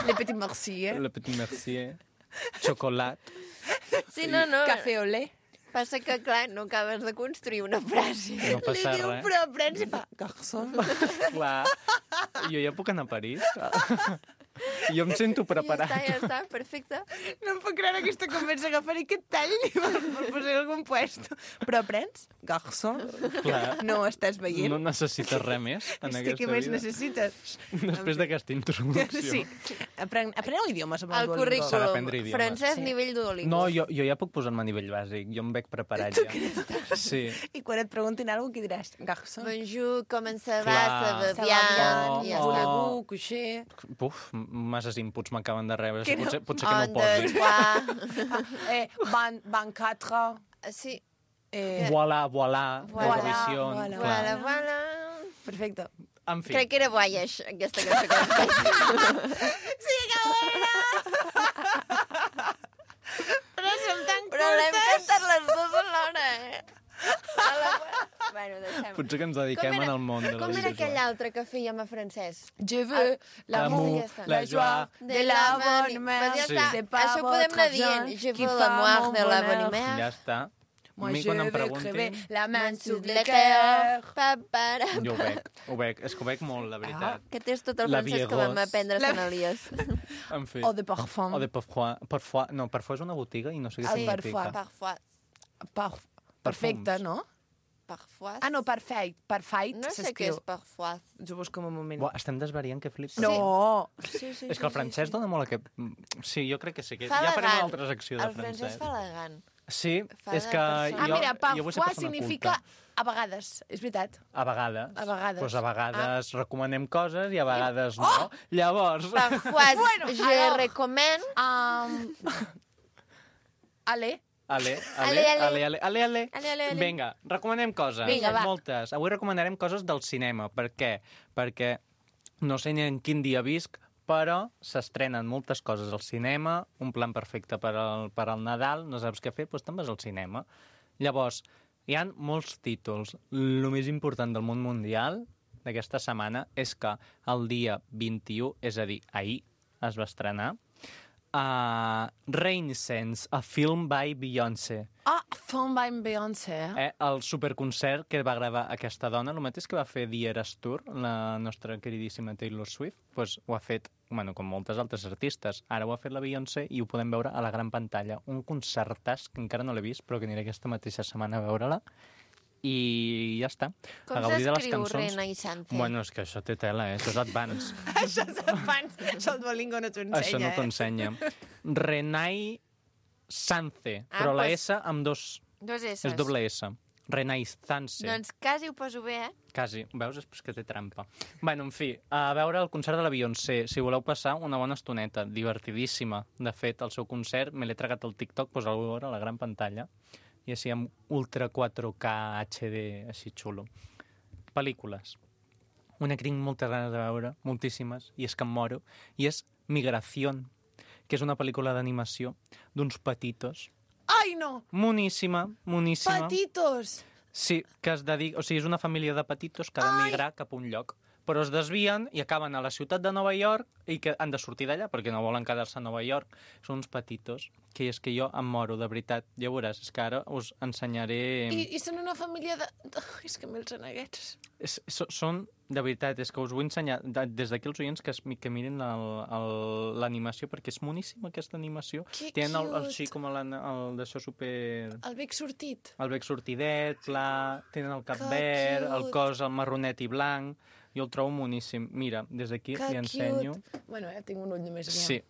Le petit merci, eh? le petit mercier, xocolat. Sí, no. Café au lait. Passa que, clar, no acabes de construir una frase. No passa Li diu, res. però aprens i fa... Garçon. Clar, jo ja puc anar a París. Jo em sento preparat. Ja està, perfecte. No em puc creure aquesta conversa, agafaré aquest tall i me'l posaré a algun puesto. Però aprens? Garçon. Clar. No ho estàs veient? No necessites res més en És que aquesta què més vida. necessites? Després d'aquesta introducció. Sí. Apreneu idiomes amb el El Duolingo. S'ha currículum, d'aprendre idiomes. francès Sí. nivell Duolingo. No, jo ja puc posar-me a nivell bàsic. Jo em veig preparat ja. Sí. I quan et preguntin alguna cosa, què diràs? Garçon. Bonjour, comment ça va, Clar. ça va Ça va bien, bien, ja està. voulez-vous coucher? Uf, masses inputs m'acaben de rebre. Que no? Potser que no Un, ho posi. deux, trois. Van 4. Sí, Voilà, Voilà, Eurovision. voilà. voilà, Clar. voilà. Perfecte. En fi, Crec que era Voyage, aquesta cançó que vam fer. Sí, que bona! Però som tan Però l'hem curtes. cantat les dues alhora, eh? Bueno, deixem. potser que ens dediquem en el món de Com era l'audiovisual. aquell altre que fèiem a francès? Je veux l'amour, L'amour, la joie, de la bonne mère. Ja Sí. està, C'est pas això ho podem votre anar dient. argent Je qui veux fa l'amour mon de la bonheur. bonne mère. Ja està. A Moi, mi je quan em veux preguntin... crever la main sous le le cœur. cœur. Pa, para, Jo ho veig. És que ho veig molt, la veritat. Que tens tot el La francès que vam Vieros. aprendre a Sant Elias. En fi. O de parfum. O de Parfois. Parfois. No, Parfois és una botiga i no sé què El significa. Parfois. Parfois. Perfecte, Perfums. no? Parfois. Ah, no, perfect. Perfect No sé què s'escriu. és parfois. Ens ho busco un moment. Buah, estem desvariant, que flip. No! Sí. És que el francès dona molt aquest... Sí, jo crec que sí. Que... Fa Ja farem una elegant. altra secció de El francès francès. fa elegant. Sí, fa és de que persona. Ah, jo, mira, jo vull ser parfois persona significa culta. a vegades. És veritat. A vegades. A vegades. Pues a vegades recomanem coses i a vegades no. Llavors... Parfois, Bueno, je alors. recommande... Ale. Ale. Ale. Vinga, recomanem coses. Vinga, va. Moltes. Avui recomanarem coses del cinema. Per què? Perquè no sé ni en quin dia visc, però s'estrenen moltes coses al cinema, un plan perfecte per al Nadal, no saps què fer, doncs te'n vas al cinema. Llavors, hi han molts títols. El més important del món mundial d'aquesta setmana és que el dia 21, és a dir, ahir, es va estrenar Renaissance, a film by Beyoncé. Ah, Film by Beyoncé. El superconcert que va gravar aquesta dona, el mateix que va fer The Eras Tour, la nostra queridíssima Taylor Swift, doncs ho ha fet, bueno, com moltes altres artistes. Ara ho ha fet la Beyoncé i ho podem veure a la gran pantalla. Un concertàs que encara no l'he vist, però que aniré aquesta mateixa setmana a veure-la. i ja està. Com A gaudir de les s'escriu cançons. Rena i Sante? Bueno, és que això té tela, això és advance. Això és abans, això el Duolingo no t'ho ensenya, Això no t'ho ensenya. Renai Sance, però la pues- S amb dos... Dos S. És doble S. Renai Sance. Doncs quasi ho poso bé, Quasi. Veus? És que té trampa. Bueno, en fi, a veure el concert de la Beyoncé. Si voleu passar una bona estoneta, divertidíssima. De fet, el seu concert me l'he tragat al TikTok, posar-ho a veure a la gran pantalla, i així amb Ultra 4K HD, així xulo. Pel·lícules. Una que tinc moltes ganes de veure, moltíssimes, i és que em moro, i és Migración, que és una pel·lícula d'animació d'uns petitos. Ai, no! Moníssima, moníssima. Petitos! Sí, que es dedica... O sigui, és una família de petitos que ha de migrar cap a un lloc. Però es desvien i acaben a la ciutat de Nova York i que han de sortir d'allà perquè no volen quedar-se a Nova York. Són uns petitos, que és que jo em moro, de veritat. Ja veuràs, és que ara us ensenyaré... I són una família de... És que me'ls aneguets. Són, de veritat, és que us vull ensenyar des d'aquí els oients que mirin l'animació, perquè és moníssima aquesta animació. Que Tenen cute. així com el d'això super... El bec sortit. El bec sortidet, pla, tenen el cap Que verd, el cute. cos el marronet i blanc. Jo el trobo moníssim. Mira, des d'aquí Que li ensenyo. cute. Bueno, tinc un ull només. Aviam. Sí,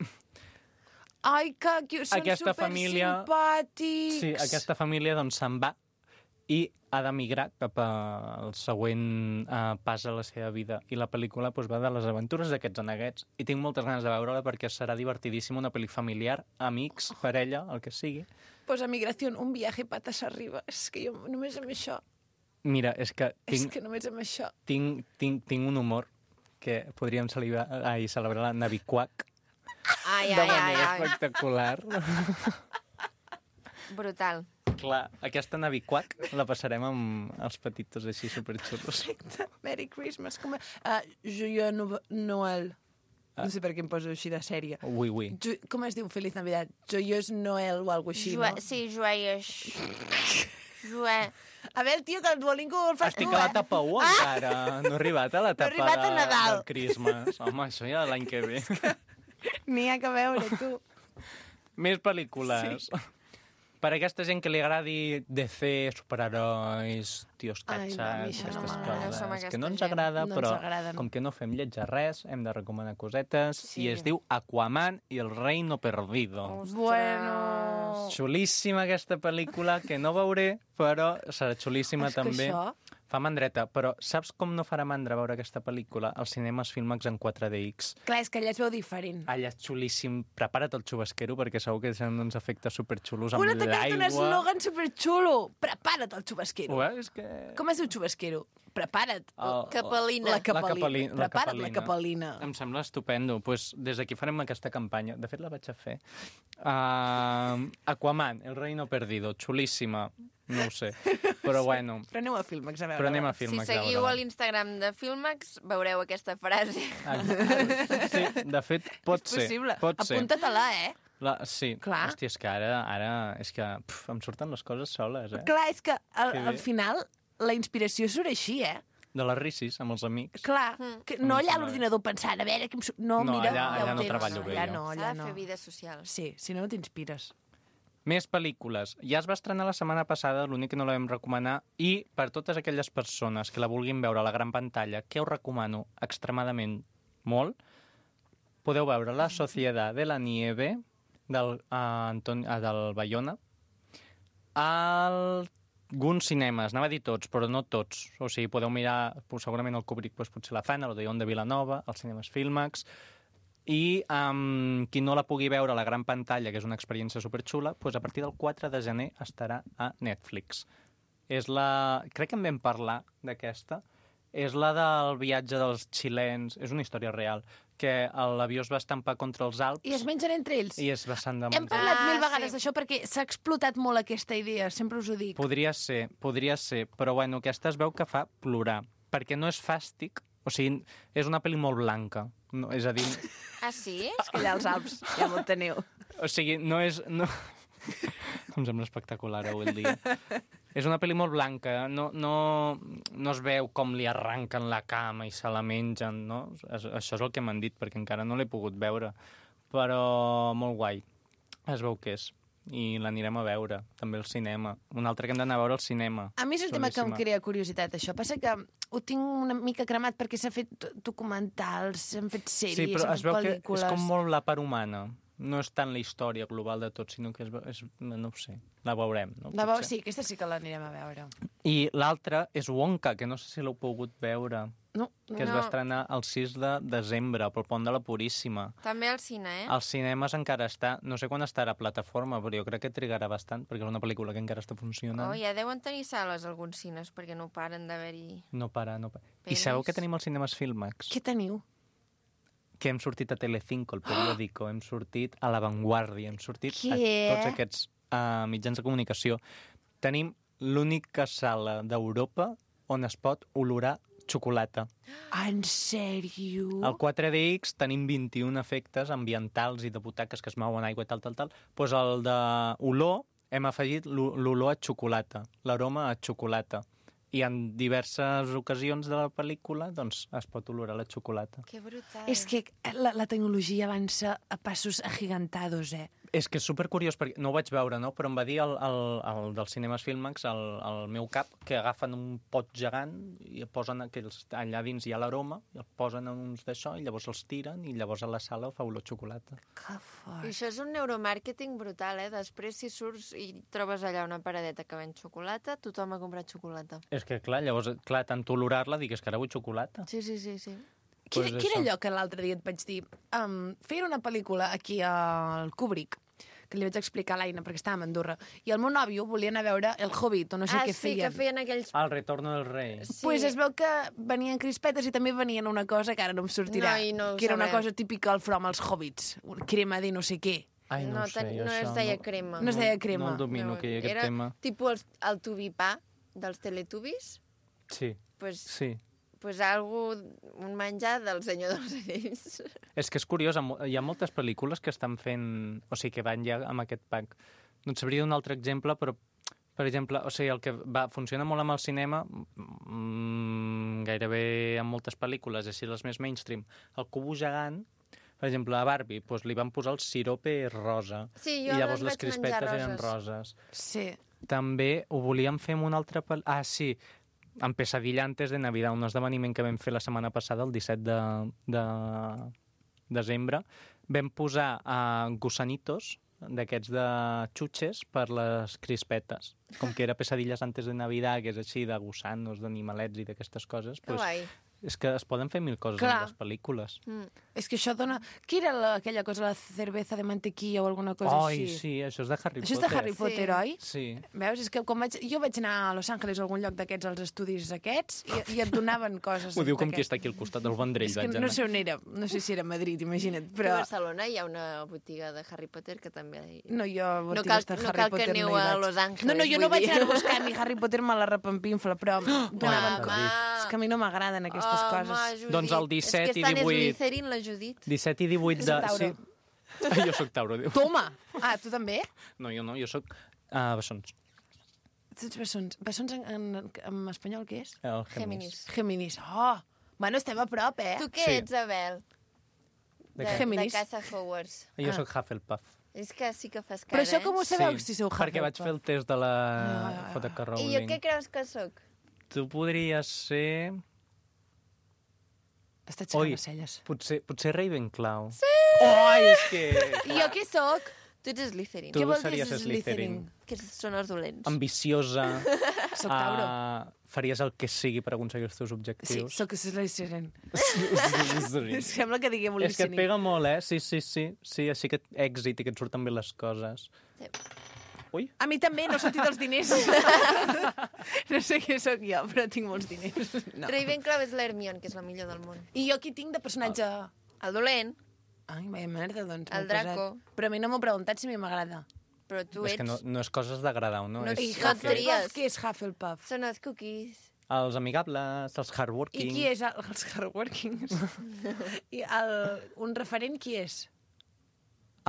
Ai, que cute. Són Aquesta família- supersimpàtics. sí, aquesta família doncs se'n va i ha d'emigrar cap al següent pas a la seva vida. I la pel·lícula doncs, va de les aventures d'aquests aneguets. I tinc moltes ganes de veure-la perquè serà divertidíssima, una pel·li familiar, amics, parella, el que sigui. Pues a Migración, un viaje patas arriba. És que jo només amb això... Mira, és que És que només amb això... tinc un humor que podríem celebrar la Naviquac Ai, de ai, ai, manera ai. espectacular. Brutal. Clar, aquesta Naviquac la passarem amb els petitos així superxulos. Merry Christmas. Joyeux Noël. No sé per què em poso així de sèrie. Ui, ui. Com es diu Feliz Navidad? Joyeux Noël o alguna així, no? Sí, joies. Joe... A veure, tio, que el Duolingo el fas Estic tu, a la etapa 1 encara. No he arribat a l'etapa arribat a Nadal. del Christmas. Home, això ja l'any que ve. N'hi ha que veure, tu. Més pel·lícules. Sí. Per a aquesta gent que li agradi DC, superherois, tios Ai, no, a mi catxats, això no aquestes m'agrada. No som coses, que aquesta no ens gent. agrada, No ens però agraden. com que no fem lletja res, hem de recomanar cosetes, Sí. i es diu Aquaman i el reino perdido. Bueno... Xulíssima aquesta pel·lícula, que no veuré, però serà xulíssima És que també. això- Fa mandreta, però saps com no farà mandra veure aquesta pel·lícula? Als cinemes Filmax en 4DX. Clar, és que allà es veu diferent. Allà és xulíssim. Prepara't el xubasquero, perquè segur que tenen uns efectes superxulos amb Una t'ha un l'aigua. eslògan superxulo. Prepara't el xubasquero. És que... Com es diu xubasquero? Prepara't. Capelina. La capelina. capelina. Prepara't la capelina. Em sembla estupendo. Pues, des d'aquí farem aquesta campanya. De fet, la vaig a fer. Aquaman, el reino perdido. Xulíssima. No ho sé. Però bueno. Però aneu a Filmax a veure. Però anem a Si Filmax. seguiu a l'Instagram de Filmax, veureu aquesta frase. Sí, de fet, pot És ser. possible. Pot ser. Apunta-te-la, Sí. Clar. Hòstia, és que ara és que em surten les coses soles, Clar, és que Que bé. al final la inspiració surt així, De les rissis, amb els amics. Clar, que no allà a sembla bé. l'ordinador pensant, a veure... No, No, mira, allà ja ho no tens. treballo bé, allà jo. no, S'ha allà de no. fer vida social. Sí, si no, no t'inspires. Més pel·lícules. Ja es va estrenar la setmana passada, l'únic que no la vam recomanar, i per totes aquelles persones que la vulguin veure a la gran pantalla, que us recomano extremadament molt, podeu veure La Sociedad de la Nieve, del Bayona, alguns cinemes, anava a dir tots, però no tots. O sigui, podeu mirar, segurament el Kubrick, doncs, potser la fan, l'Odeon de Vilanova, els cinemes Filmax, i qui no la pugui veure a la gran pantalla, que és una experiència superxula, doncs a partir del 4 de gener estarà a Netflix. Crec que en vam parlar d'aquesta. És la del viatge dels xilens. És una història real, que l'avió es va estampar contra els Alps I es mengen entre ells. i es va s'han de Hem menjar. parlat mil sí. vegades d'això perquè s'ha explotat molt aquesta idea, sempre us ho dic. Podria ser, però bueno, aquesta es veu que fa plorar, perquè no és fàstic, o sigui, és una pel·li molt blanca, no, és a dir, Ah, sí? És que allà als Alps ja m'ho teniu. o sigui, no és... No... Em sembla espectacular avui el dia. És una pel·li molt blanca, no es veu com li arranquen la cama i se la mengen, no? Això és el que m'han dit, perquè encara no l'he pogut veure, però molt guai. Es veu que és. i l'anirem a veure, també al cinema. Un altre que hem d'anar a veure al cinema. A mi és un tema que em Xulíssima. crea curiositat, això. Passa que ho tinc una mica cremat perquè s'ha fet documentals, s'han fet sèries, Sí, però s'han es fet veu que pel·lícules... és com molt la part humana. No és tant la història global de tot, sinó que no ho sé, la veurem. No? Potser. Sí, aquesta sí que l'anirem a veure. I l'altra és Wonka, que no sé si l'heu pogut veure, No, que es va estrenar el 6 de desembre, pel Pont de la Puríssima. També al cine, Als cinemes encara està, no sé quan estarà a plataforma, però jo crec que trigarà bastant, perquè és una pel·lícula que encara està funcionant. Oh, ja deuen tenir sales alguns cines, perquè no paren d'haver-hi... No para. I Pel·lis. sabeu que tenim als cinemes Filmax? Què teniu? Que hem sortit a Telecinco, el periòdico, hem sortit a La Vanguardia, hem sortit a Què? tots aquests mitjans de comunicació. Tenim l'única sala d'Europa on es pot olorar xocolata. En sèrio? Al 4DX tenim 21 efectes ambientals i de butaques que es mouen aigua i tal. Doncs el d'olor hem afegit l'olor a xocolata, l'aroma a xocolata. I en diverses ocasions de la pel·lícula doncs, es pot olorar la xocolata. Que brutal. És que la tecnologia avança a passos agigantados, És que és supercuriós, perquè no ho vaig veure, no? Però em va dir el dels cinemes Filmax, el meu cap, que agafen un pot gegant i posen allà dins hi ha l'aroma, i el posen en uns d'això, i llavors els tiren, i llavors a la sala fa olor a xocolata. Que fort. I això és un neuromàrqueting brutal, Després, si surts i trobes allà una paradeta que ven xocolata, tothom ha comprat xocolata. És que, clar, llavors, tant olorar-la, digues que ara vull xocolata. Sí. Quin Pues era això. allò que l'altre dia et vaig dir? Feien una pel·lícula aquí al Kubrick, que li vaig explicar a l'Aina, perquè estàvem a Andorra, i el meu nòvio volia anar a veure El Hobbit, o no sé què sí, feien. que feien aquells... El retorno del rei. Sí. Pues es veu que venien crispetes i també venien una cosa que ara no em sortirà, No, i no ho que era una sabem. cosa típica al From als Hobbits, crema de no sé què. Ai, no, ho sé, jo no això es deia crema. No es deia crema. No el domino, que hi ha aquest era tema. tipus el tubipà dels Teletubbies, Sí, pues, sí. un menjar del Senyor dels Anells. És que és curiós, hi ha moltes pel·lícules que estan fent... O sigui, que van ja amb aquest pack. No et sabria un altre exemple, però, per exemple, o sigui, el que funciona molt amb el cinema, gairebé amb moltes pel·lícules, així les més mainstream, el cubo gegant, per exemple, a Barbie, doncs li van posar el sirope rosa. Sí, I jo llavors les les vaig menjar crispetes eren roses. roses. Sí. També ho volíem fer amb una altra pel·lícula... Ah, sí, en Pesadilla antes de Navidad, un esdeveniment que vam fer la setmana passada, el 17 de desembre, vam posar gusanitos d'aquests de xutxes per les crispetes. Com que era Pesadillas antes de Navidad, que és així de gusanos, d'animalets i d'aquestes coses, Que guai. és que es poden fer mil coses Clar. amb les pel·lícules. És que això dona... Què era aquella cosa, la cerveza de mantequilla o alguna cosa Ai, així? sí, això és de Harry Això és Potter. de Harry Potter, Sí. oi? Sí. Veus? És que jo vaig anar a Los Angeles o algun lloc d'aquests, als estudis aquests, i et donaven coses. Ho diu com qui d'aquest. està aquí al costat del Vendrell. És que vaig no anar. sé on era, no sé si era Madrid, imagina't, Però... però... A Barcelona hi ha una botiga de Harry Potter que també... No, jo No botigues cal- de no Harry cal que Potter aneu no hi a vaig. Los Angeles, No, jo no vull vaig dir. anar a buscar ni Harry Potter, me la repampinfla, però donaven Home! És que a mi no m'agraden aquestes coses. Judit. Doncs el 17 és que i està 18. És Slytherin, la Judit. 17 i 18 de... És Tauro. Sí. Jo sóc Tauro, diu. Toma! Ah, tu també? No, jo sóc bessons. Tu ets bessons. Bessons en espanyol què és? El Géminis. Géminis. Oh! Bueno, estem a prop, Tu què Sí. ets, Abel? De De, què? Géminis. de Casa Hogwarts. Jo sóc Hufflepuff. És que sí que fas Però cara, això com ho sabeu, si sou perquè vaig fer el test de la J.K. I jo Rowling. què creus que sóc? Tu podries ser... Està aixecant Oi, les celles. potser Ravenclaw. Sí! Oi, és que... I jo què sóc? Tu ets Slytherin. Tu Què vol dir series Slytherin. Que són els dolents. Ambiciosa. Soc Tauro. Faries el que sigui per aconseguir els teus Sí, objectius. sóc Slytherin. Sí. Sembla que diguem És que et listening. pega molt, Sí, així que èxit i que et surten bé les coses. Sí. Ui, A mi també, no he sortit els diners. No sé què sóc jo, però tinc molts diners. No. Ravenclaw és l'Hermione, que és la millor del món. I jo qui tinc de personatge... El dolent, Ai, vaya merda, doncs. El m'he posat. Draco. Però a mi no m'ho preguntat si a mi m'agrada. però tu és ets... que no és coses d'agradar, no? No, És I no que- Hufflepuff. Hufflepuff, què és Hufflepuff? Són els cookies. Els amigables, els I hardworking... qui és els hardworkings? I un referent qui és?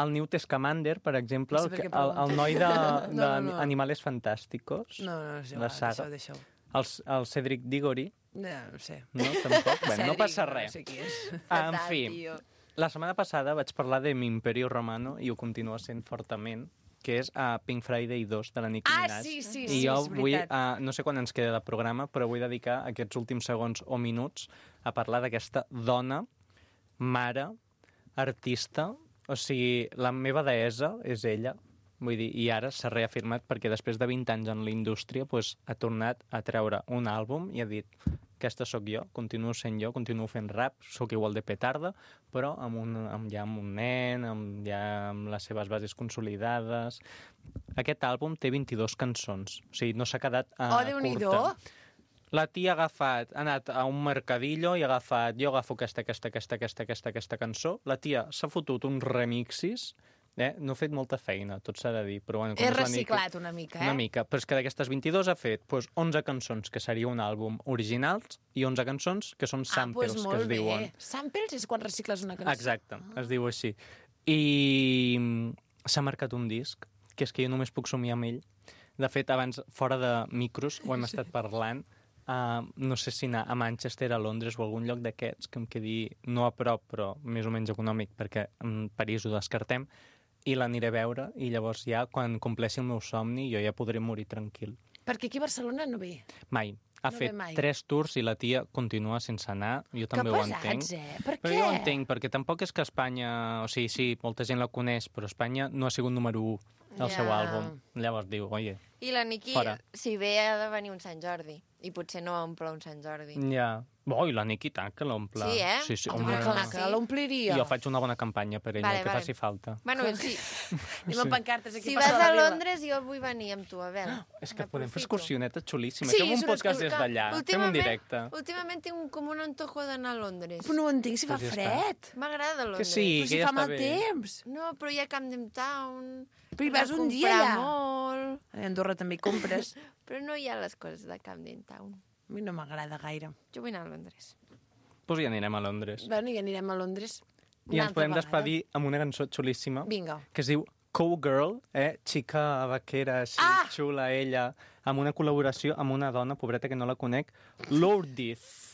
El Newt Scamander, per exemple, No sé per què el noi de, No, no. Animales Fantásticos, No, és la igual, saga. deixeu. El Cedric Diggory, No sé. no? Tampoc. Bé, no Cedric, passa res. No sé qui és. En Fatal, fi, tio. la setmana passada vaig parlar de mi Imperio Romano i ho continua sent fortament. que és Pink Friday 2 de la Nicki Minaj. sí, I jo és vull, veritat. no sé quan ens queda de programa, però vull dedicar aquests últims segons o minuts a parlar d'aquesta dona, mare, artista, o sigui, la meva deessa és ella, vull dir, i ara s'ha reafirmat perquè després de 20 anys en la indústria doncs, ha tornat a treure un àlbum i ha dit aquesta sóc jo, continuo sent jo, continuo fent rap, sóc igual de petarda, però amb un nen, amb les seves bases consolidades. Aquest àlbum té 22 cançons, o sigui, no s'ha quedat Déu-n'hi-do. curta. La tia ha anat a un mercadillo i ha agafat, jo agafo aquesta cançó, la tia s'ha fotut uns remixis, no ha fet molta feina, tot s'ha de dir. Però, bueno, He reciclat una mica, Una mica, però és que d'aquestes 22 ha fet 11 cançons, que seria un àlbum originals, i 11 cançons que són samples, doncs que es diuen. Samples és quan recicles una cançó. Exacte, es diu així. I s'ha marcat un disc, que és que jo només puc somiar amb ell. De fet, abans, fora de micros, ho hem estat parlant, no sé si anar a Manchester, a Londres o a algun lloc d'aquests que em quedi no a prop, però més o menys econòmic, perquè en París ho descartem, i l'aniré a veure, i llavors ja, quan compleixi el meu somni, jo ja podré morir tranquil. Perquè aquí a Barcelona no ve. Mai. Ha No fet ve mai. 3 tours i la tia continua sense anar. Jo també ho entenc. Per Però què? jo ho entenc, perquè tampoc és que Espanya... O sigui, sí, molta gent la coneix, però Espanya no ha sigut número 1 del seu Ja. àlbum. Llavors diu, oye, I la Nicki, Fora. si ve, ha de venir un Sant Jordi. I potser no omple un Sant Jordi. ja... Oh, i la Nicki tant que l'omple. Sí, eh? Sí, sí, Home, home. clar, Sí. que l'ompliria. Jo faig una bona campanya per ella, Vale, el que vale. faci falta. Bueno, si, Anem amb pancartes aquí si per vas tota la a vila. Londres, jo vull venir amb tu, a veure. És que podem fer Aprofito. excursioneta xulíssima. Sí, Fem és un una podcast des d'allà. Fem un directe. Últimament tinc com un antojo d'anar a Londres. Però no ho entenc, si fa Pues ja fred. M'agrada Londres. Que sí, Però que si ja fa està mal bé. temps. No, però hi ha Camden Town. Però hi vas a un dia comprar allà. molt. A Andorra també hi compres. Però no hi ha les coses de Camden Town. A mi no m'agrada gaire. Jo vull anar a Londres. Doncs ja anirem a Londres. Bueno, i anirem a Londres. I ens podem despedir amb una cançó xulíssima Vinga. que es diu Cowgirl, xica vaquera, així, xula ella, amb una col·laboració amb una dona, pobreta que no la conec, Lourdes.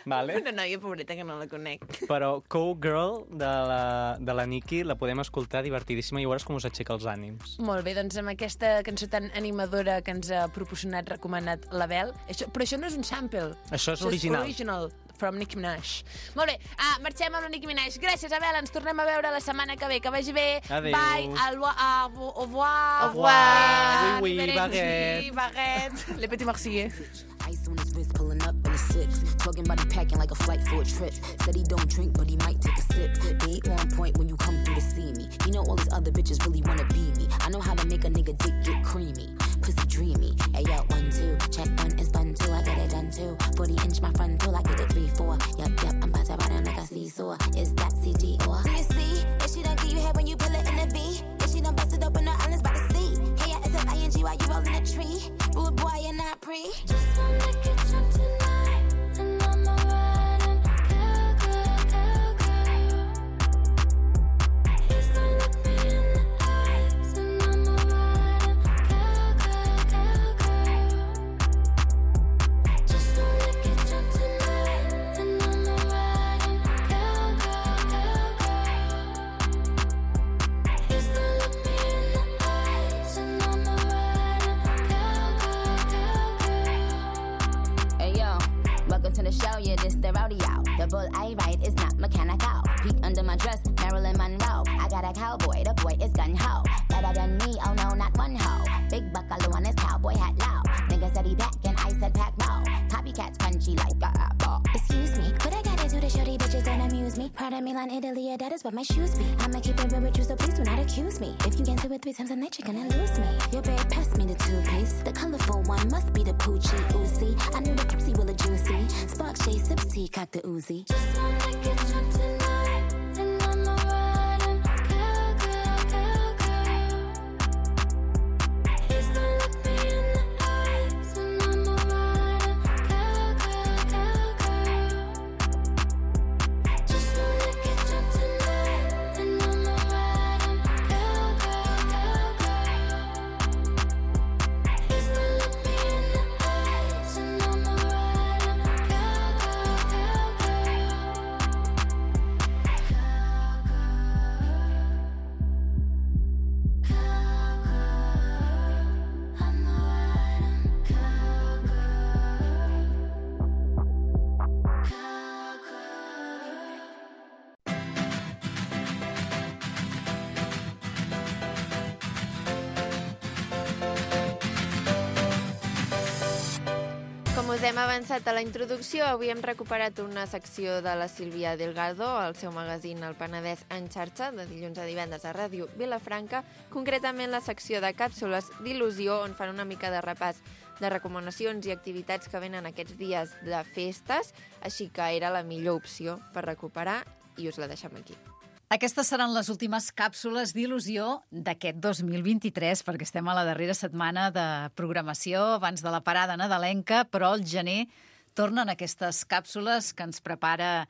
Vale? Una noia pobreta que no la conec. Però Cowgirl de la Nicki la podem escoltar divertidíssima i veuràs com us aixeca els ànims. Molt bé, doncs amb aquesta cançó tan animadora que ens ha proporcionat, recomanat l'Abel, però això no és un sample. Això és original. És original, from Nicki Minaj. Molt bé, marxem amb la Nicki Minaj. Gràcies, Abel, ens tornem a veure la setmana que ve. Que vagi bé. Adéu. Bye, au revoir. Au revoir. Oui, oui, Arrivederci, baguette. Le petit merci. Ice on his wrist, pulling up in a six. Talking about he packing like a flight for a trip. Said he don't drink, but he might take a sip. Be on point when you come through to see me. You know all these other bitches really wanna be me. I know how to make a nigga dick get creamy. Pussy dreamy. Hey yo, 1, 2, check 1 is fun too. I get it done too. 40-inch my front tool, I get it 3, 4. Yup, I'm about to ride on like a seesaw. Is that CG or? Do you see? If she don't give you head when you pull it in the V. If she don't bust it open, the islands by the sea. K-I-S-S-I-N-G while you rolling a tree. Rude boy, you're not pre. Just wanna get drunk tonight, and I'ma ride and girl. Please don't look me in the eyes, and I'ma ride and girl. Just wanna get drunk tonight, and I'ma ride and girl. Please don't look me in the eyes, and I'ma ride and girl. Hey yo, welcome to the show, yeah, this the rodeo. The bull I ride is not mechanical. Peek under my dress, Marilyn Monroe. I got a cowboy, the boy is gun-ho. Better than me, oh no, not one ho. Big buckaloo on his cowboy hat low. Nigga said he back and I said pack mo. Copycats crunchy like a apple. Excuse me, what I gotta do to show these bitches don't amuse me? Prada, Milan, Italy, yeah, that is what my shoes be. I'ma keep it real with you, so please do not accuse me. If you get to it 3 times a night, you're gonna lose me. Your babe passed me the 2-piece. The colorful one must be the Poochie Uzi. I knew the Pepsi will a juicy. Spark J, sips tea, cock the Uzi. Just wanna get drunk tonight, and I'ma ride and girl. Please don't look me in the eyes, and I'ma ride and girl. Just wanna get drunk tonight, and I'ma ride and girl. Please don't look me in the eyes, and I'ma ride and girl. Com us hem avançat a la introducció, avui hem recuperat una secció de la Sílvia Delgado, al seu magazín El Penedès en xarxa, de dilluns a divendres a Ràdio Vilafranca, concretament la secció de càpsules d'il·lusió, on fan una mica de repàs de recomanacions i activitats que venen aquests dies de festes, així que era la millor opció per recuperar i us la deixem aquí. Aquestes seran les últimes càpsules d'il·lusió d'aquest 2023, perquè estem a la darrera setmana de programació abans de la parada nadalenca, però al gener tornen aquestes càpsules que ens prepara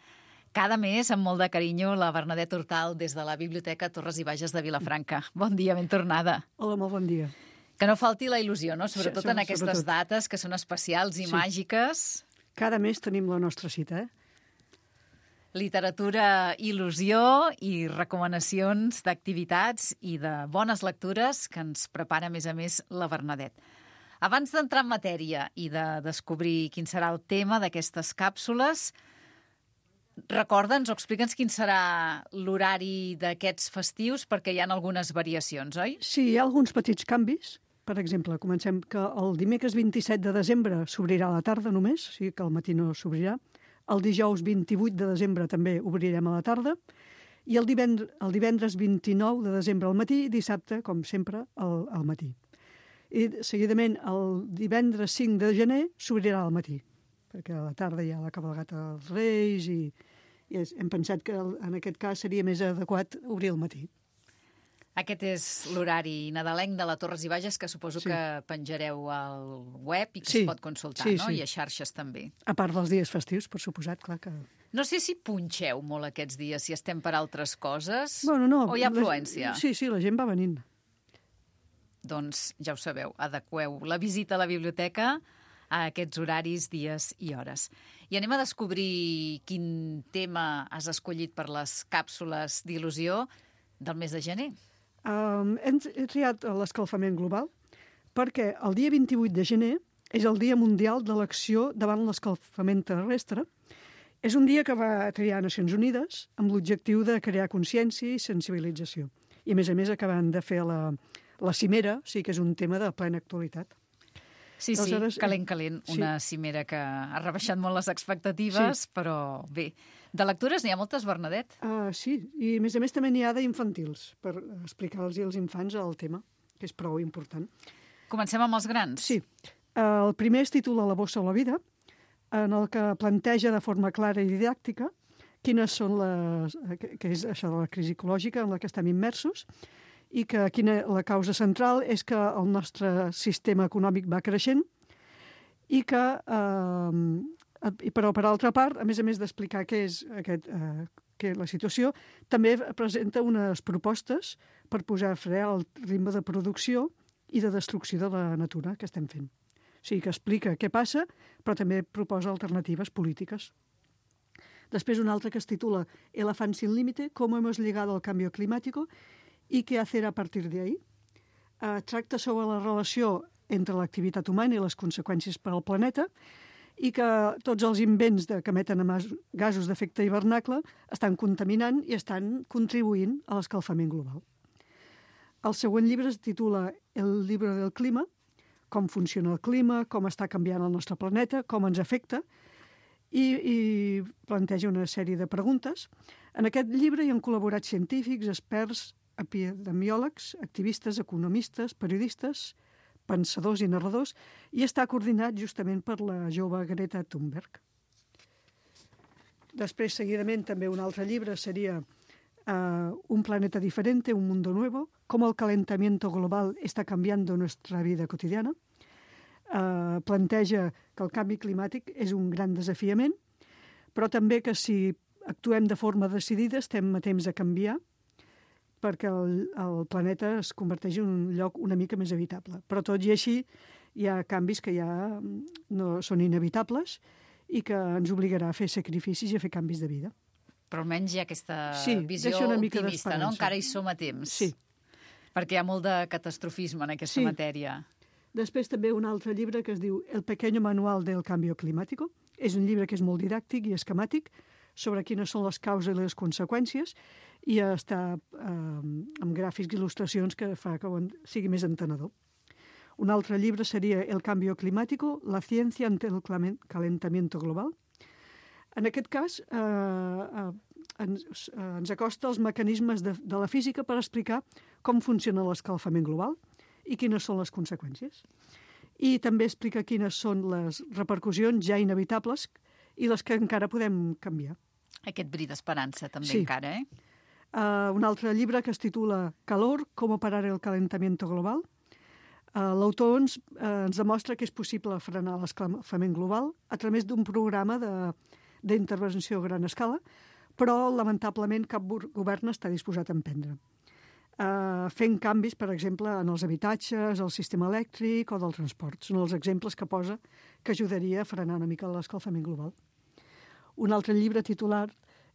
cada mes amb molt de carinyo la Bernadette Hortal des de la Biblioteca Torres i Bages de Vilafranca. Bon dia, ben tornada. Hola, molt bon dia. Que no falti la il·lusió, no? Sobretot en aquestes sobretot. dates que són especials i màgiques. Cada mes tenim la nostra cita, Literatura, il·lusió i recomanacions d'activitats i de bones lectures que ens prepara, a més, la Bernadette. Abans d'entrar en matèria i de descobrir quin serà el tema d'aquestes càpsules, recorda'ns o explica'ns quin serà l'horari d'aquests festius, perquè hi ha algunes variacions, oi? Sí, hi ha alguns petits canvis. Per exemple, comencem que el dimecres 27 de desembre s'obrirà a la tarda només, o sigui que al matí no s'obrirà. El dijous 28 de desembre també obrirem a la tarda. I el divendres 29 de desembre al matí i dissabte, com sempre, al matí. I seguidament el divendres 5 de gener s'obrirà al matí, perquè a la tarda hi ha la cabalgata dels Reis i hem pensat que en aquest cas seria més adequat obrir al matí. Aquest és l'horari nadalenc de la Torres i Bages, que suposo que penjareu al web i que es pot consultar, no? I a xarxes també. A part dels dies festius, per suposat, clar que... No sé si punxeu molt aquests dies, si estem per altres coses, bueno, no, o hi ha afluència. Sí, la gent va venint. Doncs ja ho sabeu, adequeu la visita a la biblioteca a aquests horaris, dies i hores. I anem a descobrir quin tema has escollit per les càpsules d'il·lusió del mes de gener. Hem triat l'escalfament global perquè el dia 28 de gener és el Dia Mundial de l'Acció davant l'escalfament terrestre. És un dia que va triar Nacions Unides amb l'objectiu de crear consciència i sensibilització. I, a més, acaben de fer la cimera, o sigui que és un tema de plena actualitat. Sí, calent, una cimera que ha rebaixat molt les expectatives, però bé. De lectures n'hi ha moltes, Bernadette? Sí, i a més també n'hi ha d'infantils, per explicar-los als infants el tema, que és prou important. Comencem amb els grans? Sí. El primer es titula La bossa o la vida, en el que planteja de forma clara i didàctica quines són que és això de la crisi ecològica en la que estem immersos, i que la causa central és que el nostre sistema econòmic va creixent i que, però per altra part, a més d'explicar què és la situació, també presenta unes propostes per posar fre al ritme de producció i de destrucció de la natura que estem fent. O sigui, que explica què passa, però també proposa alternatives polítiques. Després un altre que es titula Elefant sin límite, cómo hemos llegado al cambio climático i què hacer a partir de ahí. Tracta sobre la relació entre l'activitat humana i les conseqüències per al planeta i que tots els invents que emeten gasos d'efecte hivernacle estan contaminant i estan contribuint a l'escalfament global. El següent llibre es titula El llibre del clima, com funciona el clima, com està canviant el nostre planeta, com ens afecta, i planteja una sèrie de preguntes. En aquest llibre hi han col·laborat científics, experts, epidemiòlegs, activistes, economistes, periodistes, pensadors i narradors, i està coordinat justament per la jove Greta Thunberg. Després, seguidament, també un altre llibre seria Un planeta diferente, un mundo nuevo, cómo el calentamiento global está cambiando nuestra vida cotidiana. Planteja que el canvi climàtic és un gran desafiament, però també que si actuem de forma decidida estem a temps de canviar perquè el planeta es converteix en un lloc una mica més habitable. Però tot i així hi ha canvis que ja no són inevitables i que ens obligarà a fer sacrificis i a fer canvis de vida. Però almenys hi ha aquesta visió optimista, no? Encara hi som a temps. Sí. Perquè hi ha molt de catastrofisme en aquesta matèria. Després també un altre llibre que es diu El pequeño manual del cambio climático. És un llibre que és molt didàctic i esquemàtic sobre quines són les causes i les conseqüències i està amb gràfics i il·lustracions que fa que sigui més entenedor. Un altre llibre seria El cambio climático, la ciencia ante el calentamiento global. En aquest cas, ens acosta als mecanismes de la física per explicar com funciona l'escalfament global i quines són les conseqüències. I també explica quines són les repercussions ja inevitables i les que encara podem canviar. Aquest bri d'esperança també Sí. encara, eh? Un altre llibre que es titula Calor, cómo parar el calentamiento global. L'autor ens demostra que és possible frenar l'escalfament global a través d'un programa d'intervenció a gran escala, però lamentablement cap govern està disposat a emprendre. Fent canvis, per exemple, en els habitatges, el sistema elèctric o del transport. Són els exemples que posa que ajudaria a frenar una mica l'escalfament global. Un altre llibre titulat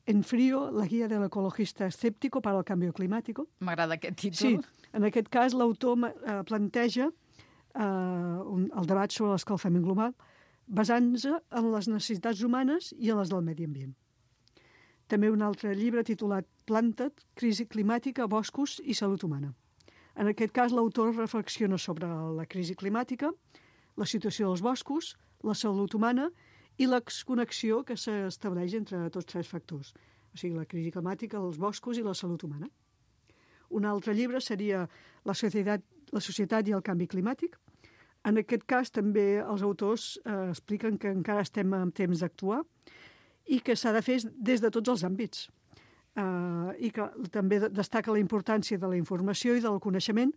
En frío, la guia del ecologista escéptico para el cambio climático. M'agrada aquest títol. Sí, en aquest cas l'autor planteja el debat sobre l'escalfament global basant-se en les necessitats humanes i en les del medi ambient. També un altre llibre titulat Planta't, crisi climàtica, boscos i salut humana. En aquest cas l'autor reflexiona sobre la crisi climàtica, la situació dels boscos, la salut humana i l'exconnexió que s'estableix entre tots tres factors, o sigui, la crisi climàtica, els boscos i la salut humana. Un altre llibre seria La societat i el canvi climàtic. En aquest cas també els autors expliquen que encara estem en temps d'actuar i que s'ha de fer des de tots els àmbits. I que també destaca la importància de la informació i del coneixement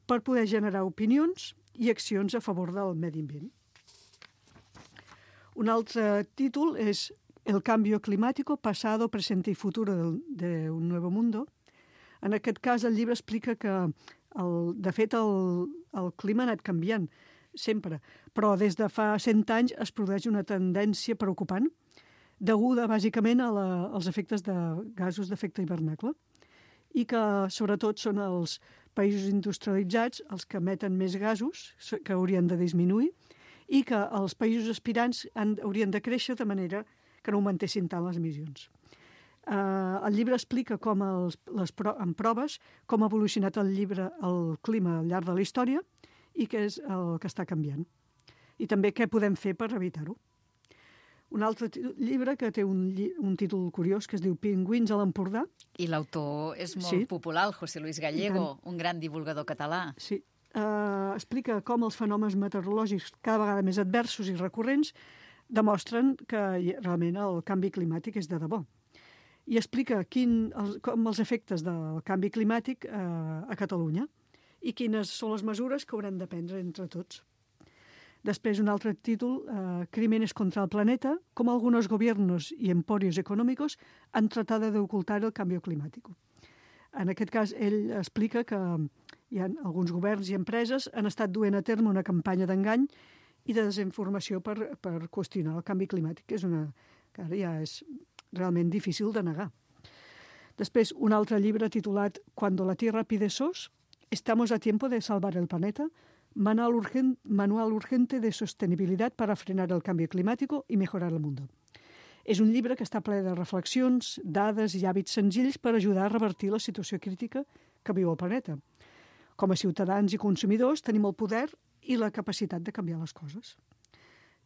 per poder generar opinions i accions a favor del medi ambient. Un altre títol és El cambio climático, pasado, presente y futuro de un nuevo mundo. En aquest cas, el llibre explica que, de fet, el clima ha anat canviant sempre, però des de fa 100 anys es produeix una tendència preocupant deguda, bàsicament, als efectes de gasos d'efecte hivernacle i que, sobretot, són els països industrialitzats els que emeten més gasos, que haurien de disminuir, i que els països aspirants haurien de créixer de manera que no augmentessin tant les emissions. El llibre explica en proves com ha evolucionat el clima al llarg de la història i què és el que està canviant. I també què podem fer per evitar-ho. Un altre llibre que té un títol curiós que es diu Pingüins a l'Empordà. I l'autor és molt popular, el José Luis Gallego, un gran divulgador català. Sí. Explica com els fenòmens meteorològics cada vegada més adversos i recurrents demostren que realment el canvi climàtic és de debò. I explica com els efectes del canvi climàtic a Catalunya i quines són les mesures que haurem de prendre entre tots. Després, un altre títol, Crímenes contra el planeta, com algunos gobiernos y emporios económicos han tratado de ocultar el cambio climático. En aquest cas, ell explica que hi ha alguns governs i empreses han estat duent a terme una campanya d'engany i de desinformació per qüestionar el canvi climàtic, que ara ja és realment difícil de negar. Després, un altre llibre titulat Cuando la Tierra pide sos, estamos a tiempo de salvar el planeta, manual urgente de sostenibilidad para frenar el cambio climático y mejorar el mundo. És un llibre que està ple de reflexions, dades i hàbits senzills per ajudar a revertir la situació crítica que viu el planeta. Com a ciutadans i consumidors tenim el poder i la capacitat de canviar les coses.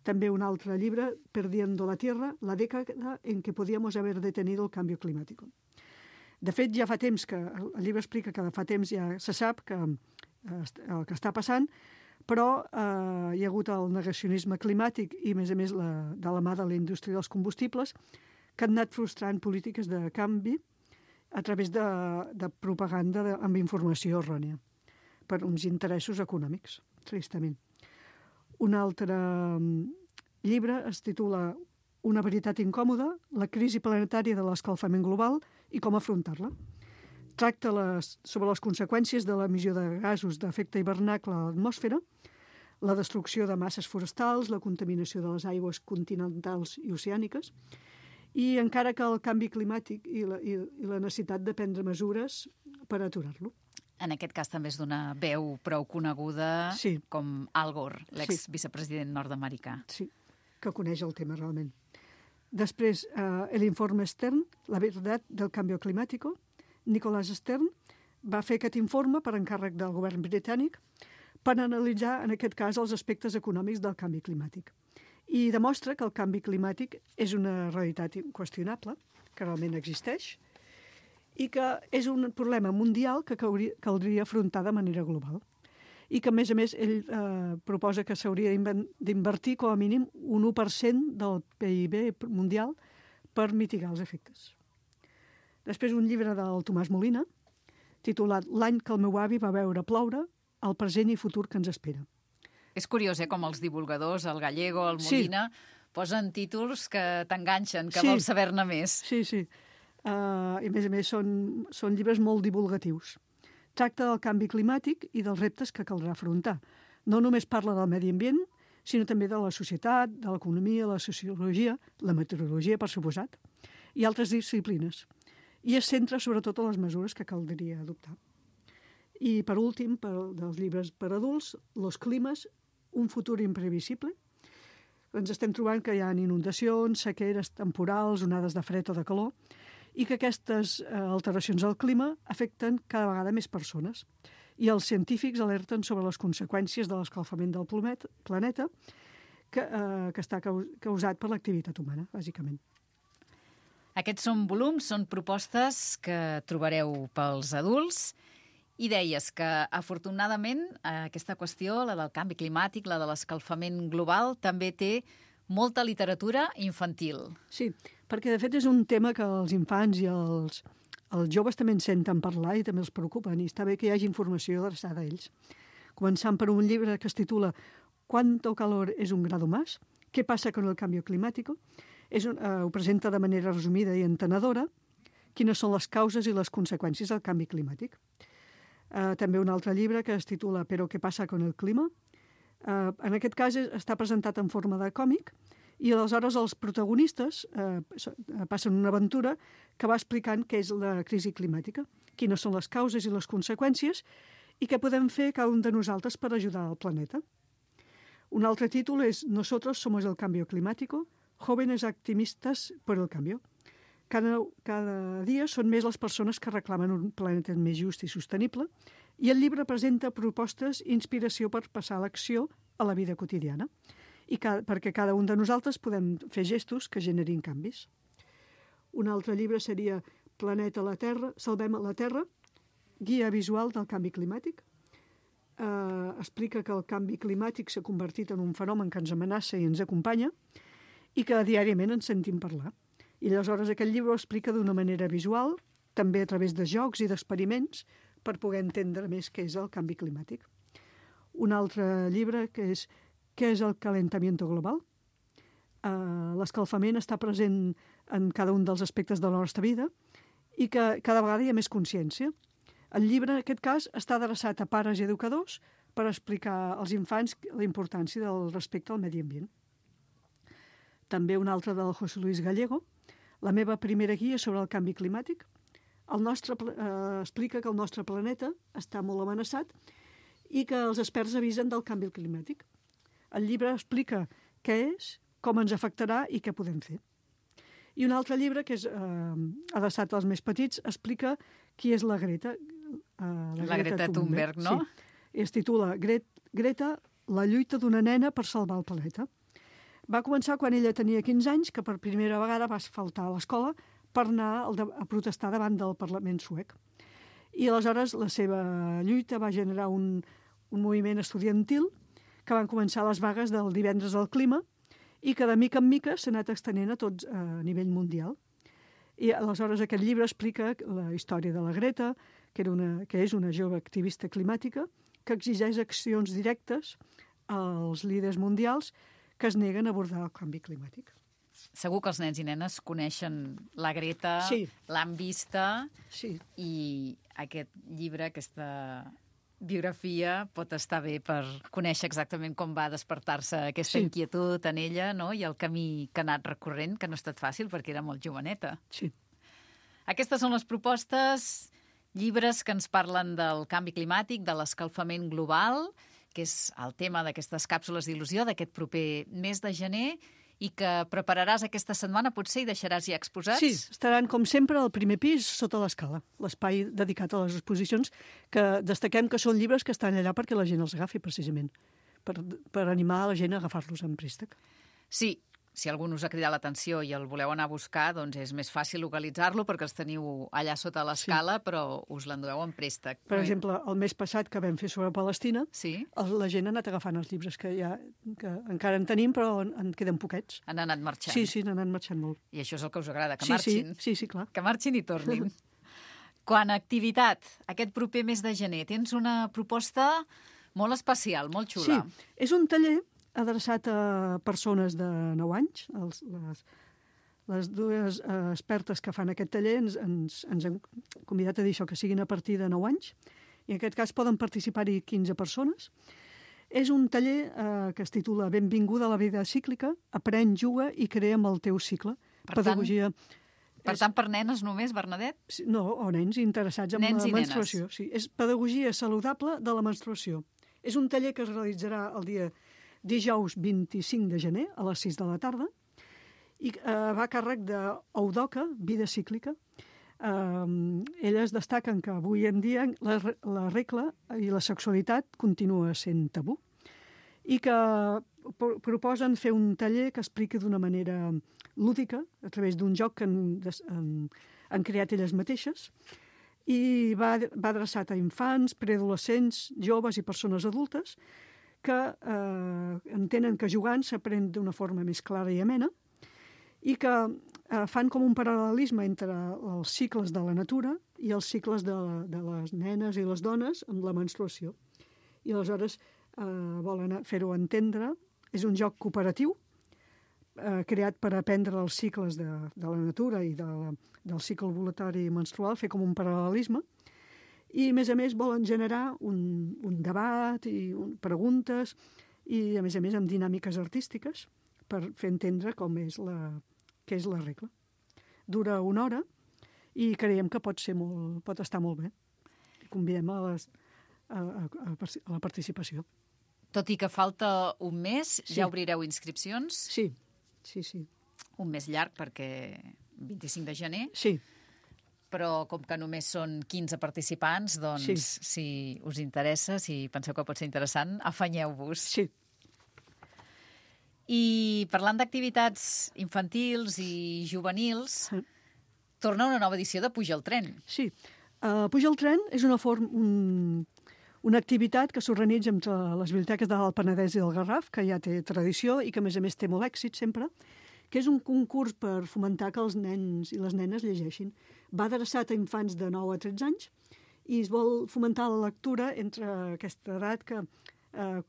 També un altre llibre, Perdiendo la Tierra, la década en què podíamos haber detenido el cambio climático. De fet, ja fa temps que el llibre explica que fa temps ja se sap que el que està passant, però hi ha hagut el negacionisme climàtic i, a més, de la mà de la indústria dels combustibles que han anat frustrant polítiques de canvi a través de propaganda amb informació errònia per uns interessos econòmics, tristament. Un altre llibre es titula Una veritat incòmoda, la crisi planetària de l'escalfament global i com afrontar-la. Tracta sobre les conseqüències de l'emissió de gasos d'efecte hivernacle a l'atmosfera, la destrucció de masses forestals, la contaminació de les aigües continentals i oceàniques, i encara que el canvi climàtic i la necessitat de prendre mesures per aturar-lo. En aquest cas també és d'una veu prou coneguda com Al Gore, l'ex-vicepresident nord-americà. Sí, que coneix el tema realment. Després, el informe Stern, La verdad del cambio climático. Nicholas Stern va fer aquest informe per encàrrec del govern britànic per analitzar, en aquest cas, els aspectes econòmics del canvi climàtic. I demostra que el canvi climàtic és una realitat inqüestionable, que realment existeix, i que és un problema mundial que caldria afrontar de manera global. I que, a més, ell proposa que s'hauria d'invertir com a mínim un 1% del PIB mundial per mitigar els efectes. Després un llibre del Tomàs Molina, titulat L'any que el meu avi va veure ploure, el present i futur que ens espera. És curiós, com els divulgadors, el Gallego, el Molina, posen títols que t'enganxen, que vols saber-ne més. Sí. I, a més, són llibres molt divulgatius. Tracta del canvi climàtic i dels reptes que caldrà afrontar. No només parla del medi ambient, sinó també de la societat, de l'economia, la sociologia, la meteorologia, per suposat, i altres disciplines. I es centra sobretot en les mesures que caldria adoptar. I, per últim, dels llibres per adults, Los climes, un futur imprevisible. Ens estem trobant que hi ha inundacions, sequeres temporals, onades de fred o de calor, i que aquestes alteracions del clima afecten cada vegada més persones. I els científics alerten sobre les conseqüències de l'escalfament del planeta que està causat per l'activitat humana, bàsicament. Aquests són volums, són propostes que trobareu pels adults. I deies que, afortunadament, aquesta qüestió, la del canvi climàtic, la de l'escalfament global, també té molta literatura infantil. Sí, perquè, de fet, és un tema que els infants i els joves també en senten parlar i també els preocupen, i està bé que hi hagi informació adreçada a ells. Començant per un llibre que es titula ¿Cuánto calor es un grado más? ¿Qué pasa con el cambio climático? Ho presenta de manera resumida i entenedora quines són les causes i les conseqüències del canvi climàtic. També un altre llibre que es titula Pero qué pasa con el clima? En aquest cas està presentat en forma de còmic i aleshores els protagonistes passen una aventura que va explicant què és la crisi climàtica, quines són les causes i les conseqüències i què podem fer cada un de nosaltres per ajudar al planeta. Un altre títol és Nosotros somos el cambio climático, jóvenes activistas por el cambio. Cada dia són més les persones que reclamen un planeta més just i sostenible i el llibre presenta propostes i inspiració per passar a l'acció a la vida quotidiana i perquè cada un de nosaltres podem fer gestos que generin canvis. Un altre llibre seria Planeta a la Terra, Salvem la Terra, guia visual del canvi climàtic. Explica que el canvi climàtic s'ha convertit en un fenomen que ens amenaça i ens acompanya i que diàriament ens sentim parlar. I aleshores aquest llibre ho explica d'una manera visual, també a través de jocs i d'experiments, per poder entendre més què és el canvi climàtic. Un altre llibre que és Què és el calentamiento global? L'escalfament està present en cada un dels aspectes de la nostra vida i que cada vegada hi ha més consciència. El llibre, en aquest cas, està adreçat a pares i educadors per explicar als infants la importància del respecte al medi ambient. També un altre del José Luis Gallego, La meva primera guia sobre el canvi climàtic. Explica que el nostre planeta està molt amenaçat i que els experts avisen del canvi climàtic. El llibre explica què és, com ens afectarà i què podem fer. I un altre llibre, que és adreçat als més petits, explica qui és la Greta. La Greta Thunberg, no? Sí. Es titula Greta, la lluita d'una nena per salvar el planeta. Va començar quan ella tenia 15 anys, que per primera vegada va faltar a l'escola per anar a protestar davant del Parlament suec. I aleshores la seva lluita va generar un moviment estudiantil que van començar les vagues del divendres del clima i que de mica en mica s'ha anat extenent a tots a nivell mundial. I aleshores aquest llibre explica la història de la Greta, que és una jove activista climàtica que exigeix accions directes als líders mundials que es neguen a abordar el canvi climàtic. Segur que els nens i nenes coneixen la Greta, sí. L'han vista, sí. I aquest llibre, aquesta biografia, pot estar bé per conèixer exactament com va despertar-se aquesta inquietud en ella, no? I el camí que ha anat recorrent, que no ha estat fàcil perquè era molt joveneta. Sí. Aquestes són les propostes, llibres que ens parlen del canvi climàtic, de l'escalfament global, que és el tema d'aquestes càpsules d'il·lusió d'aquest proper mes de gener, i que prepararàs aquesta setmana, potser, i deixaràs ja exposats? Sí, estaran, com sempre, al primer pis, sota l'escala, l'espai dedicat a les exposicions, que destaquem que són llibres que estan allà perquè la gent els agafi, precisament, per animar a la gent a agafar-los en préstec. Sí, si algú us ha cridat l'atenció i el voleu anar a buscar, doncs és més fàcil localitzar-lo perquè els teniu allà sota l'escala, però us l'endueu en préstec. Per exemple, el mes passat que vam fer sobre Palestina, sí? La gent ha anat agafant els llibres que encara en tenim, però en queden poquets. Han anat marxant. Sí, han anat marxant molt. I això és el que us agrada, que marxin. Sí, clar. Que marxin i tornin. Quant a activitat, aquest proper mes de gener, tens una proposta molt especial, molt xula. Sí, és un taller adreçat a persones de 9 anys. Les dues expertes que fan aquest taller ens han convidat a dir això, que siguin a partir de 9 anys. I en aquest cas poden participar-hi 15 persones. És un taller que es titula Benvinguda a la vida cíclica, aprèn, juga i crea amb el teu cicle. Pedagogia... Per tant, per nenes només, Bernadette? No, o nens interessats en la menstruació. Sí, és pedagogia saludable de la menstruació. És un taller que es realitzarà el dia dijous 25 de gener a les 6 de la tarda i va a càrrec d'Eudoca, Vida Cíclica. Elles destaquen que avui en dia la regla i la sexualitat continua sent tabú i que proposen fer un taller que expliqui d'una manera lúdica, a través d'un joc que han creat elles mateixes, i va adreçat a infants, preadolescents, joves i persones adultes que entenen que jugant s'aprèn d'una forma més clara i amena i que fan com un paral·lelisme entre els cicles de la natura i els cicles de les nenes i les dones amb la menstruació. I aleshores volen fer-ho entendre. És un joc cooperatiu creat per aprendre els cicles de la natura i del cicle ovulatori menstrual, fer com un paral·lelisme. I, a més, volen generar un debat i preguntes i, a més, amb dinàmiques artístiques per fer entendre què és la regla. Dura 1 hora i creiem que pot estar molt bé. Convidem a la participació. Tot i que falta un mes, ja obrireu inscripcions? Sí. Un mes llarg, perquè 25 de gener. Sí. Però com que només són 15 participants, doncs si us interessa, si penseu que pot ser interessant, afanyeu-vos. Sí. I parlant d'activitats infantils i juvenils, torna una nova edició de Puja el tren. Sí. Puja el tren és una activitat que s'organitza entre les biblioteques de l'Alt Penedès i del Garraf, que ja té tradició i que, a més, té molt èxit sempre, que és un concurs per fomentar que els nens i les nenes llegeixin. Va adreçat a infants de 9 a 13 anys i es vol fomentar la lectura entre aquesta edat que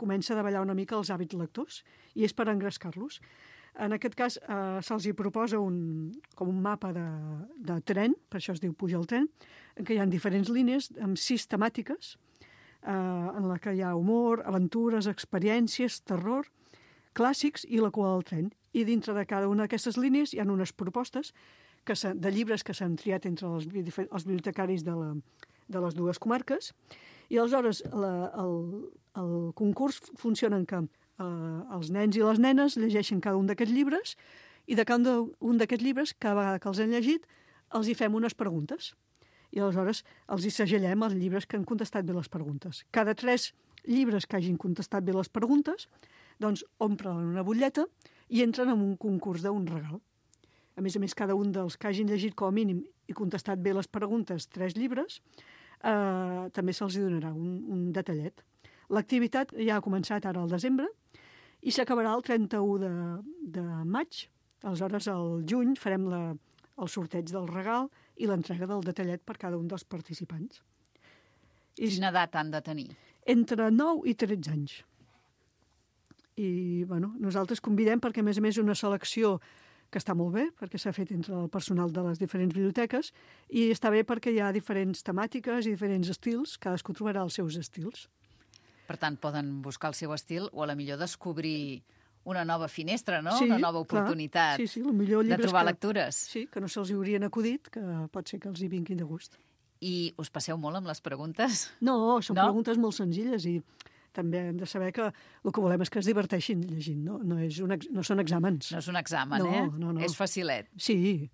comença a davallar una mica els hàbits lectors i és per engrescar-los. En aquest cas se'ls hi proposa com un mapa de tren, per això es diu Puja el tren, en què hi ha diferents línies amb 6 temàtiques en la que hi ha humor, aventures, experiències, terror, clàssics i la cua del tren. I dintre de cada una d'aquestes línies hi ha unes propostes de llibres que s'han triat entre els bibliotecaris de les dues comarques. I aleshores el concurs funciona en que els nens i les nenes llegeixen cada un d'aquests llibres i de cada un d'aquests llibres, cada vegada que els han llegit, els hi fem unes preguntes. I aleshores els hi segellem els llibres que han contestat bé les preguntes. Cada 3 llibres que hagin contestat bé les preguntes, doncs omplen una butlleta i entren en un concurs d'un regal. A més, cada un dels que hagin llegit com a mínim i contestat bé les preguntes 3 llibres, també se'ls donarà un detallet. L'activitat ja ha començat ara al desembre i s'acabarà el 31 de maig. Aleshores, al juny farem el sorteig del regal i l'entrega del detallet per cada un dels participants. Quina edat han de tenir? Entre 9 i 13 anys. I nosaltres convidem perquè, a més, és una selecció que està molt bé, perquè s'ha fet entre el personal de les diferents biblioteques, i està bé perquè hi ha diferents temàtiques i diferents estils, cadascú trobarà els seus estils. Per tant, poden buscar el seu estil o a la millor descobrir una nova finestra, no? Sí, una nova oportunitat de trobar lectures. Sí, que no se'ls haurien acudit, que pot ser que els hi vinguin de gust. I us passeu molt amb les preguntes? No, són preguntes molt senzilles i també hem de saber que el que volem és que es diverteixin llegint, no són exàmens. No és un examen, No. És facilet. Sí.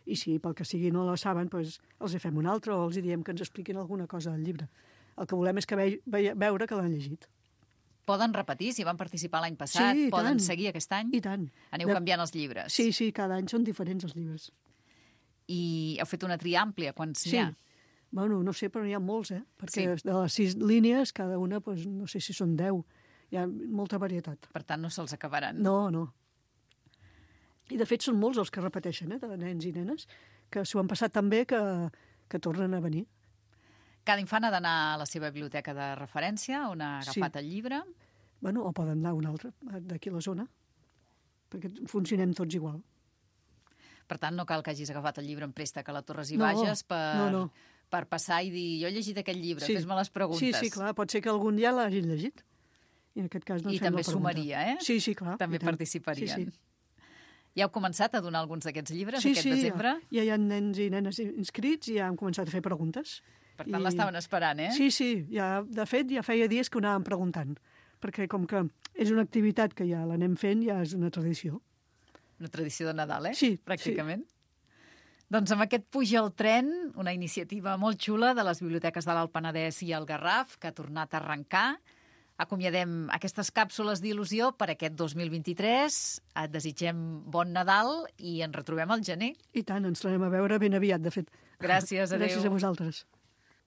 I si pel que sigui no la saben, doncs els hi fem un altre o els hi diem que ens expliquin alguna cosa del llibre. El que volem és que veure que l'han llegit. Poden repetir, si van participar l'any passat, Sí, i poden tant. seguir aquest any? I tant. Aneu canviant els llibres. Sí, cada any són diferents els llibres. I heu fet una tria àmplia, quants n'hi ha? Bueno, no sé, però n'hi ha molts, Perquè Sí. de les 6 línies, cada una, doncs, no sé si són 10. Hi ha molta varietat. Per tant, no se'ls acabaran. No. I, de fet, són molts els que repeteixen, de nens i nenes, que s'ho han passat tan bé que tornen a venir. Cada infant ha d'anar a la seva biblioteca de referència, on ha agafat el llibre. Bueno, o poden anar a una altra, d'aquí a la zona, perquè funcionem tots igual. Per tant, no cal que hagis agafat el llibre en préstec a la Torres i No, Bages no. per passar i dir, jo he llegit aquest llibre, fes-me les preguntes. Sí, clar, pot ser que algun ja l'hagin llegit. I en aquest cas no I fem la també pregunta. sumaria, Sí, clar. També i tant. participarien. Sí. Ja heu començat a donar alguns d'aquests llibres Sí, aquest desembre? ja hi ha nens i nenes inscrits i ja hem començat a fer preguntes. Per tant, l'estaven esperant, Sí, de fet, ja feia dies que ho anàvem preguntant, perquè com que és una activitat que ja l'anem fent, ja és una tradició. Una tradició de Nadal, Sí, pràcticament. Doncs amb aquest Puja al tren, una iniciativa molt xula de les biblioteques de l'Alt Penedès i el Garraf, que ha tornat a arrencar. Acomiadem aquestes càpsules d'il·lusió per aquest 2023. Et desitgem bon Nadal i ens retrobem al gener. I tant, ens tornem a veure ben aviat, de fet. Gràcies, adéu. Gràcies a vosaltres.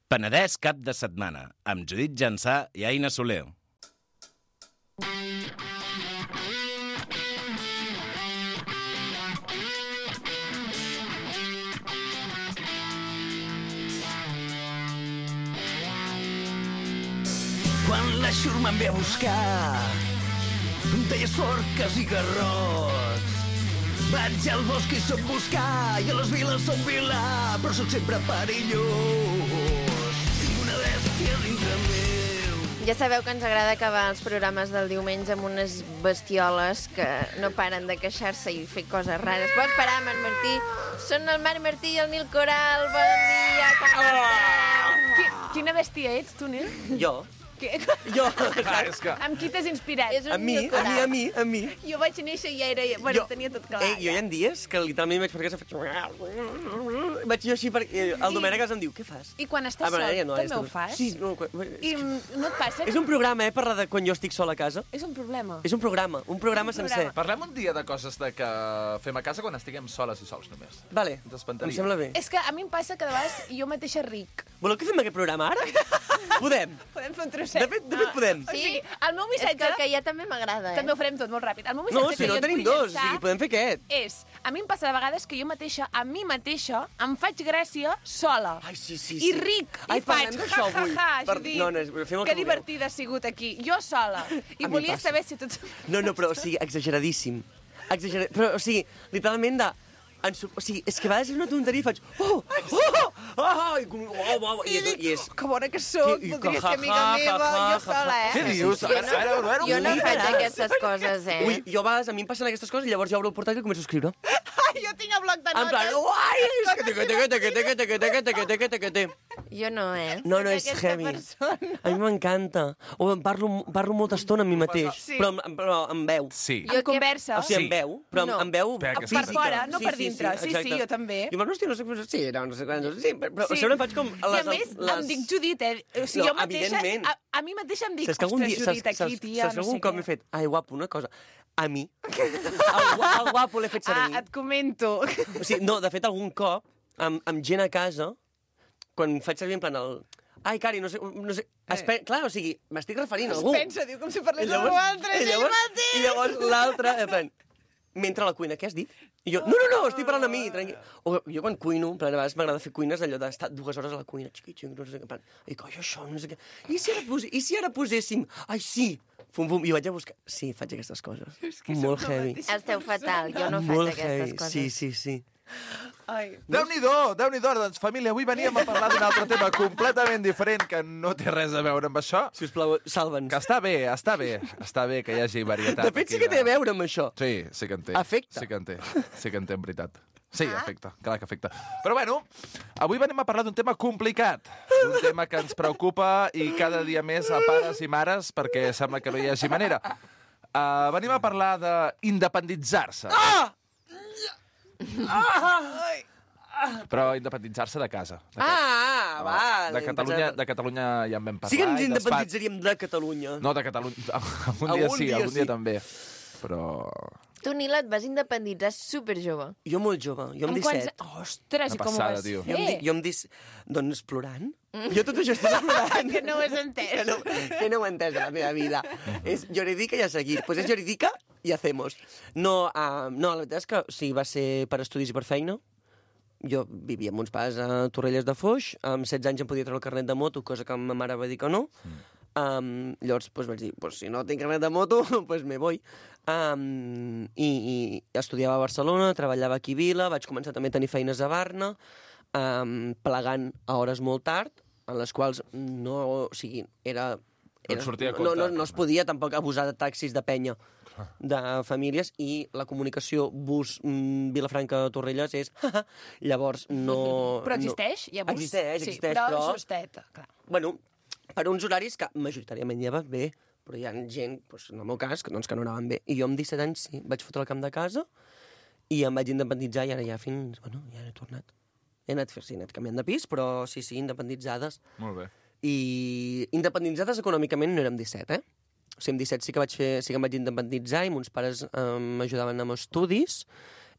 Penedès cap de setmana, amb Judit Jansà i Aina Soler. Quan la xurma em ve a buscar, deies forques i garrots. Vaig al bosc i soc buscar, i a les viles soc vilà, però soc sempre perillós. Tinc una bèstia dintre meu. Ja sabeu que ens agrada acabar els programes del diumenge amb unes bestioles que no paren de queixar-se i fer coses rares. Pots parar, Marc Martí? Són el Marc Martí i el Nil Coral. Bon dia, com esteu? Quina bèstia ets, tu, Nil? Jo? Què? Jo? És que... Amb qui t'has inspirat? És un A mi. Jo vaig néixer i ja era... Bueno, tenia tot clar. Jo hi ha dies que literalment vaig per casa faig... Vaig jo així perquè el Domènec em diu, què fas? I quan estàs sol, també ho fas? Sí, no, I no et passa? és un programa, parlar de quan jo estic sol a casa. És un problema. És un programa sencer. Parlem un dia de coses que fem a casa quan estiguem soles i sols només. Vale, Ens espantaria. em sembla bé. És que a mi em passa que de vegades jo mateixa ric. Voleu que fem aquest programa ara? Podem. Podem fer un trosset. De fet podem. O sigui, el meu És que missatge... el que hi ha també m'agrada, També ho farem tot molt ràpid. El meu No, missatge si que no jo et tenim vull dos, o llançar sigui, podem fer aquest. és... A mi em passa de vegades que jo mateixa, a mi mateixa, em faig gràcia sola. Ai, sí. I ric, Ai, i faig parlem d'això avui. Judit, No, fem el que que vulgueu. divertida ha sigut aquí, jo sola. I A mi volia passa. saber si tots... No, però, o sigui, exageradíssim. Però, o sigui, literalment o sigui, és que a vegades és una tonteria i faig... I és... Que bona que sóc, I voldria que ser amiga meva, jo sola, Què dius? A veure, Jo no faig aquestes coses, Ui, jo a vegades a mi em passen aquestes coses i llavors jo obro el portàtil i començo a escriure. Ai, jo tinc el bloc de En plan, notes. uai, és que... Jo no, No, és Aquesta heavy. persona. A mi m'encanta. O em parlo molta estona amb mi mateix, Sí. però amb veu. Sí. En conversa. O sigui, amb veu, però No. amb veu Per Per física. fora, no per dintre. Sí, exacte. jo també. I bueno, hòstia, no sé què... Sí, no sé què... Sí, però Sí. sempre em faig com... I a més, em dic Judit, O sigui, No, jo mateixa, evidentment. a mi mateixa em dic, Saps que algun ostres, dia, Judit, aquí, tia, saps que no sé algun cop què. m'he fet... Ai, guapo, una cosa. A mi. El guapo l'he fet servir. Et comento. O sigui, no, de fet, algun cop, amb gent a casa, quan faig servir en plan el... Ai, Cari, no sé... Clar, o sigui, m'estic referint a algú. Es pensa, diu, com si parlés I d'algú llavors- altre, i és ell llavors- mateix. I llavors l'altre, en plan, mentre a la cuina, què has dit? I jo, no, estic parlant a mi, tranquil. O jo quan cuino, en plan, a vegades m'agrada fer cuines allò d'estar 2 hores a la cuina, xiqui, no sé què, en plan, i coi, això, no sé què. I si ara poséssim? Ai, sí! Fum, i vaig a buscar... Sí, faig aquestes coses. Molt heavy. Esteu fatal, jo no faig Molt aquestes heavy. coses. Sí. Ai. Déu-n'hi-do, doncs, família, avui veníem a parlar d'un altre tema completament diferent que no té res a veure amb això. Sisplau, salva'ns. Que està bé que hi hagi varietat. De fet, sí que té a veure amb això. Sí que en té. Afecta. Sí que en té, en veritat. Sí, afecta, clar que afecta. Però bueno, avui venim a parlar d'un tema complicat, d'un tema que ens preocupa i cada dia més a pares i mares, perquè sembla que no hi hagi manera. Venim a parlar d'independitzar-se. Però independitzar-se de casa. Vale. De Catalunya ja en vam parlar. Sí que ens independitzaríem de Catalunya. No, de Catalunya. Algun dia també. Però... Tu, Nila, et vas independitzar superjove. Jo molt jove, jo amb 17. Ostres, i com ho vas fer? Jo amb 17... Doncs plorant. Jo tot això estic plorant. Que no ho has entès. Que no ho he entès a la meva vida. És jurídica i a seguir. Pues és jurídica i hacemos. No, la veritat és que sí, va ser per estudis i per feina. Jo vivia amb uns pares a Torrelles de Foix. Amb 16 anys em podia treure el carnet de moto, cosa que ma mare va dir que no. Llavors vaig dir, si no tinc carnet de moto, me voy. I estudiava a Barcelona, treballava aquí a Vila, vaig començar també a tenir feines a Barna, plegant a hores molt tard, en les quals no es podia tampoc abusar de taxis de penya de famílies, i la comunicació bus Vilafranca-Torrelles és... Llavors no... Però existeix? Existeix, sí, però justeta, clar. Bueno, per uns horaris que majoritàriament ja va bé, però hi ha gent, en el meu cas, que no anaven bé. I jo amb 17 anys sí, vaig fotre el camp de casa i em vaig independitzar, i ara ja fins... Bueno, ja he tornat. He anat canviant de pis, però sí, independitzades. Molt bé. I independitzades econòmicament no érem 17, O sigui, amb 17 sí que em vaig independitzar i mons pares m'ajudaven amb estudis,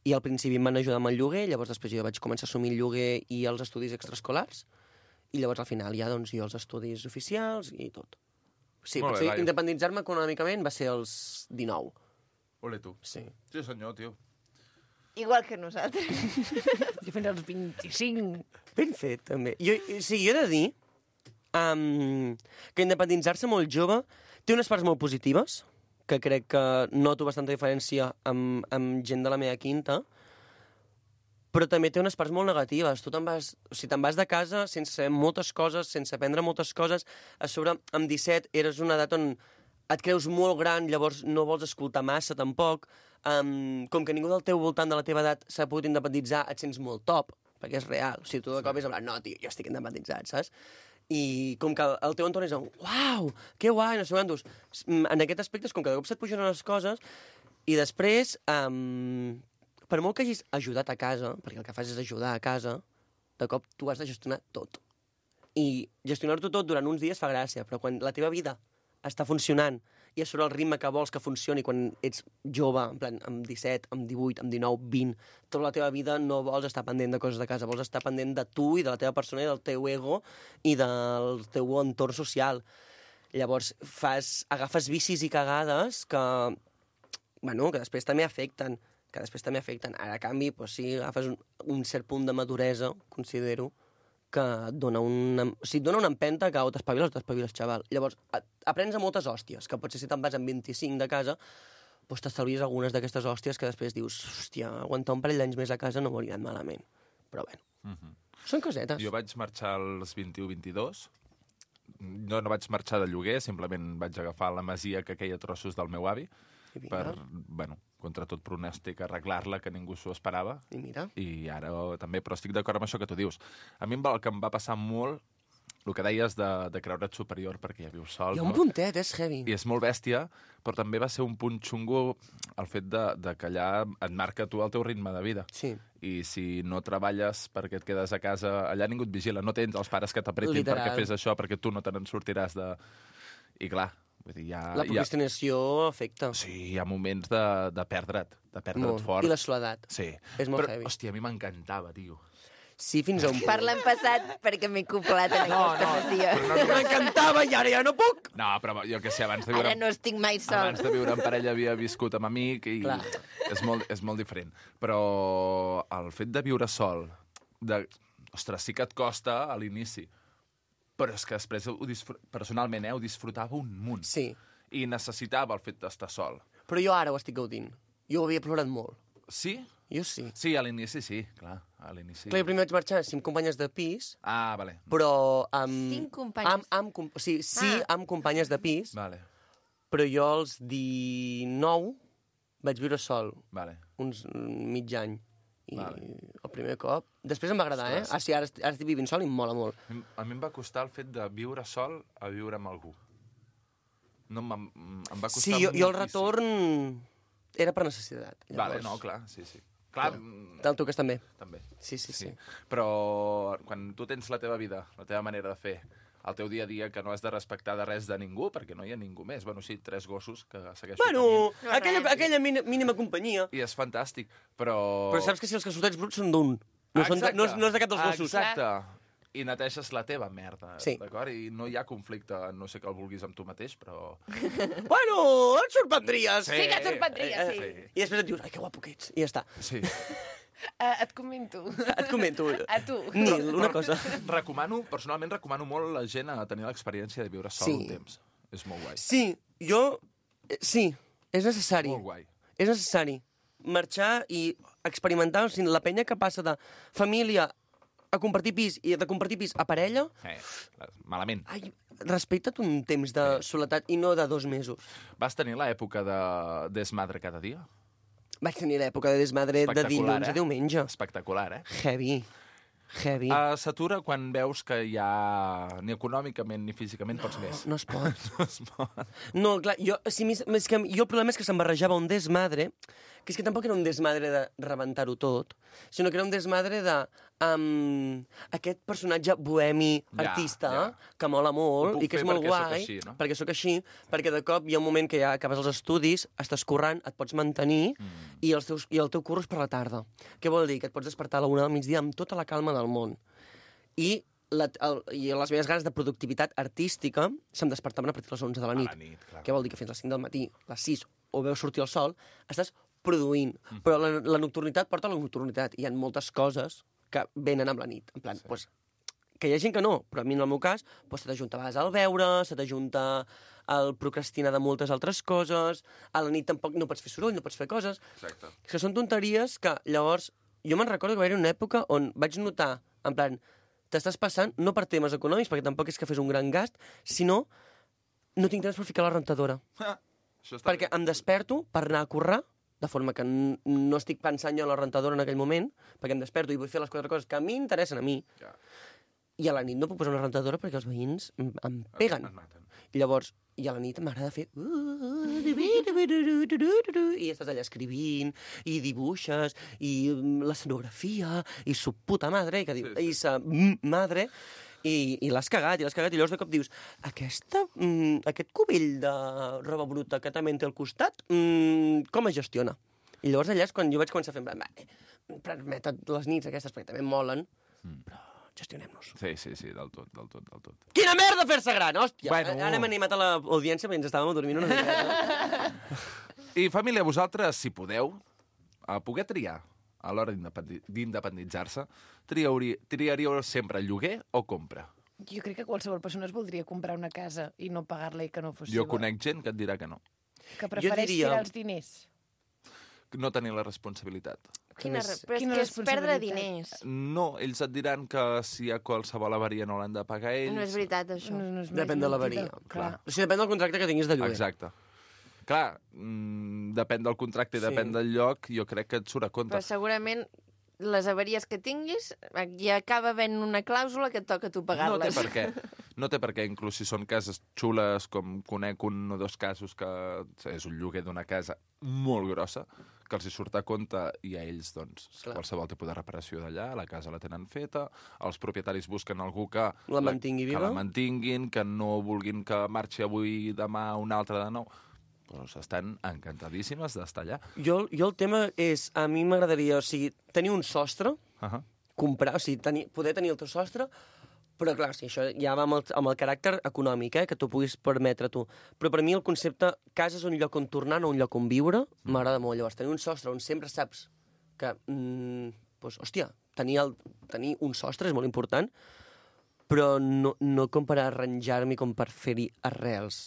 i al principi em van ajudar amb el lloguer, llavors després jo vaig començar a assumir el lloguer i els estudis extraescolars, i llavors al final ja jo els estudis oficials i tot. Sí, però independitzar-me econòmicament va ser als 19. Ole tu. Sí. Sí, senyor, tio. Igual que nosaltres. Jo fins als 25. Ben fet, també. Jo he de dir que independitzar-se molt jove té unes parts molt positives, que crec que noto bastanta diferència amb gent de la meva quinta, però també té unes parts molt negatives. Tu te'n vas de casa sense saber moltes coses, sense aprendre moltes coses. A sobre, amb 17, eres una edat on et creus molt gran, llavors no vols escoltar massa, tampoc. Com que ningú del teu voltant de la teva edat s'ha pogut independitzar, et sents molt top, perquè és real. O sigui, tu de cop és en plan, no, tio, jo estic independitzat, saps? I com que el teu entorn és un, uau, que guai, no sé quantos. En aquest aspecte és com que de cop se't pugen les coses, i després, per molt que hagis ajudat a casa, perquè el que fas és ajudar a casa, de cop tu has de gestionar tot. I gestionar-ho tot durant uns dies fa gràcia, però quan la teva vida està funcionant i a sobre el ritme que vols que funcioni quan ets jove, en plan, amb 17, amb 18, amb 19, 20, tota la teva vida no vols estar pendent de coses de casa, vols estar pendent de tu i de la teva persona i del teu ego i del teu entorn social. Llavors agafes vicis i cagades que després també afecten, Ara, a canvi, sí, agafes un cert punt de maduresa, considero, que et dona una empenta que o t'espaviles, xaval. Llavors, aprens a moltes hòsties, que potser si te'n vas amb 25 de casa, doncs t'estalvies algunes d'aquestes hòsties que després dius, hòstia, aguantar un parell d'anys més a casa no m'hauria anat malament. Però bueno, són cosetes. Jo vaig marxar als 21-22, no vaig marxar de lloguer, simplement vaig agafar la masia que queia trossos del meu avi, per, contra tot pronòstic, arreglar-la, que ningú s'ho esperava. I mira. I ara també, però estic d'acord amb això que tu dius. A mi el que em va passar molt, el que deies de creure't superior perquè ja vius sol. Hi ha un puntet, és heavy. I és molt bèstia, però també va ser un punt xungo el fet de que allà et marca tu el teu ritme de vida. Sí. I si no treballes perquè et quedes a casa, allà ningú et vigila, no tens els pares que t'apretin perquè fes això, perquè tu no te n'en sortiràs de... I clar, vull dir, la procrastinació afecta. Sí, hi ha moments de perdre't fort. I la soledat. Sí. És molt heavy. Hòstia, a mi m'encantava, tio. Sí, fins a un punt. Parla en passat perquè m'he coplat en aquesta masia. M'encantava i ara ja no puc. No, però jo que sé, abans de viure... Ara no estic mai sol. Abans de viure en parella havia viscut amb amic i és molt diferent. Però el fet de viure sol, ostres, sí que et costa a l'inici, però és que després, personalment, ho disfrutava un munt. Sí. I necessitava el fet d'estar sol. Però jo ara ho estic gaudint. Jo ho havia plorat molt. Sí? Jo sí. Sí, a l'inici sí, clar. A l'inici... Clar, jo primer vaig marxar amb 5 companyes de pis. Ah, vale. Però... 5 companyes? Amb companyes de pis. Vale. Però jo als 19 vaig viure sol. Vale. Uns mig any. I el primer cop... Després em va agradar, Ah, sí, ara estic vivint sol i em mola molt. A mi em va costar el fet de viure sol a viure amb algú. No, em va costar Sí, jo el retorn era per necessitat. Vale, no, clar, sí. Clar, Te'l toques també. També. Sí. Però quan tu tens la teva vida, la teva manera de fer, el teu dia a dia, que no has de respectar de res de ningú, perquè no hi ha ningú més. Bueno, sí, 3 gossos que segueixo tenint. Aquella mínima companyia. I és fantàstic, però... Però saps que si els calçotets bruts són d'un. No és de cap dels gossos. Exacte. I neteges la teva merda, Sí. d'acord? I no hi ha conflicte, no sé que el vulguis amb tu mateix, però... Bueno, et sorprendries. Sí que et sorprendries, sí. I després et dius, ai, que guapo que ets. I ja està. Sí. Et comento. Et comento. A tu. Nil, una cosa. Personalment recomano molt a la gent a tenir l'experiència de viure sol un temps. És molt guai. Sí, sí, és necessari. Molt guai. És necessari marxar i experimentar. O sigui, la penya que passa de família a compartir pis i de compartir pis a parella... Malament. Ai, respecta't un temps de soledat i no de 2 mesos. Vas tenir l'època de desmadre cada dia? Vaig tenir l'època de desmadre de dilluns a diumenge. Espectacular, eh? Heavy. S'atura quan veus que ja ni econòmicament ni físicament pots més. No es pot. No es pot. No, clar, jo el problema és que se'm barrejava un desmadre, que és que tampoc era un desmadre de rebentar-ho tot, sinó que era un desmadre de aquest personatge bohemi, artista, que mola molt i que és molt guai, perquè sóc així, perquè de cop hi ha un moment que ja acabes els estudis, estàs currant, et pots mantenir i el teu curro és per la tarda. Què vol dir? Que et pots despertar a la 1 del migdia amb tota la calma del món. I les meves ganes de productivitat artística se'm despertaven a partir de les 11 de la nit. Què vol dir? Que fins a les 5 del matí, les 6, o veus sortir el sol, estàs produint. Però la nocturnitat porta a la nocturnitat. Hi ha moltes coses que venen amb la nit. En plan, que hi ha gent que no, però a mi en el meu cas se t'ajunta a vegades el beure, se t'ajunta el procrastinar de moltes altres coses, a la nit tampoc no pots fer soroll, no pots fer coses. Exacte. Que són tonteries que llavors... Jo me'n recordo que va haver una època on vaig notar, en plan, t'estàs passant no per temes econòmics, perquè tampoc és que fes un gran gast, sinó no tinc temps per ficar la rentadora. Perquè em desperto per anar a currar, de forma que no estic pensant jo en la rentadora en aquell moment, perquè em desperto i vull fer les 4 coses que a mi interessen a mi. I a la nit no puc posar una rentadora perquè els veïns em peguen. I llavors, i a la nit m'agrada fer... I estàs allà escrivint, i dibuixes, i l'escenografia, i su puta madre, i sa madre... I l'has cagat, i llavors de cop dius aquest cubell de roba bruta que també té al costat, com es gestiona? I llavors allà és quan jo vaig començar a fer permeted les nits aquestes, perquè també em molen, però gestionem-nos. Sí, del tot. Quina merda fer-se gran, hòstia! Bueno. Ara hem animat a l'audiència mentre estàvem dormint una mica. I família, vosaltres, si podeu, poder triar a l'hora d'independitzar-se, triaríeu sempre lloguer o compra? Jo crec que qualsevol persona es voldria comprar una casa i no pagar-la i que no fos Jo seva. conec gent que et dirà que no. Que prefereix tirar els diners. No tenir la responsabilitat. Però és que és perdre diners. No, ells et diran que si hi ha qualsevol avaria no l'han de pagar ells. No és veritat, això. Depèn de l'avaria. O sigui, depèn del contracte que tinguis de lloguer. Exacte. Clar, depèn del contracte i depèn del lloc, jo crec que et surt a compte. Però segurament les avaries que tinguis ja acaba havent una clàusula que et toca a tu pagar-les. No té per què. No té per què, inclús si són cases xules, com conec 1 o 2 casos que és un lloguer d'una casa molt grossa, que els hi surt a compte i a ells, doncs, qualsevol tipus de reparació d'allà, la casa la tenen feta, els propietaris busquen algú que la mantingui viva, que la mantinguin, que no vulguin que marxi avui, demà, un altre de nou. Doncs estan encantadíssimes d'estar allà. Jo el tema és, a mi m'agradaria, tenir un sostre, comprar, poder tenir el teu sostre, però clar, això ja va amb el caràcter econòmic, que t'ho puguis permetre tu. Però per mi el concepte casa és un lloc on tornar, no un lloc on viure, m'agrada molt. Llavors, tenir un sostre on sempre saps que, hòstia, tenir un sostre és molt important, però no com per arranjar-m'hi com per fer-hi arrels.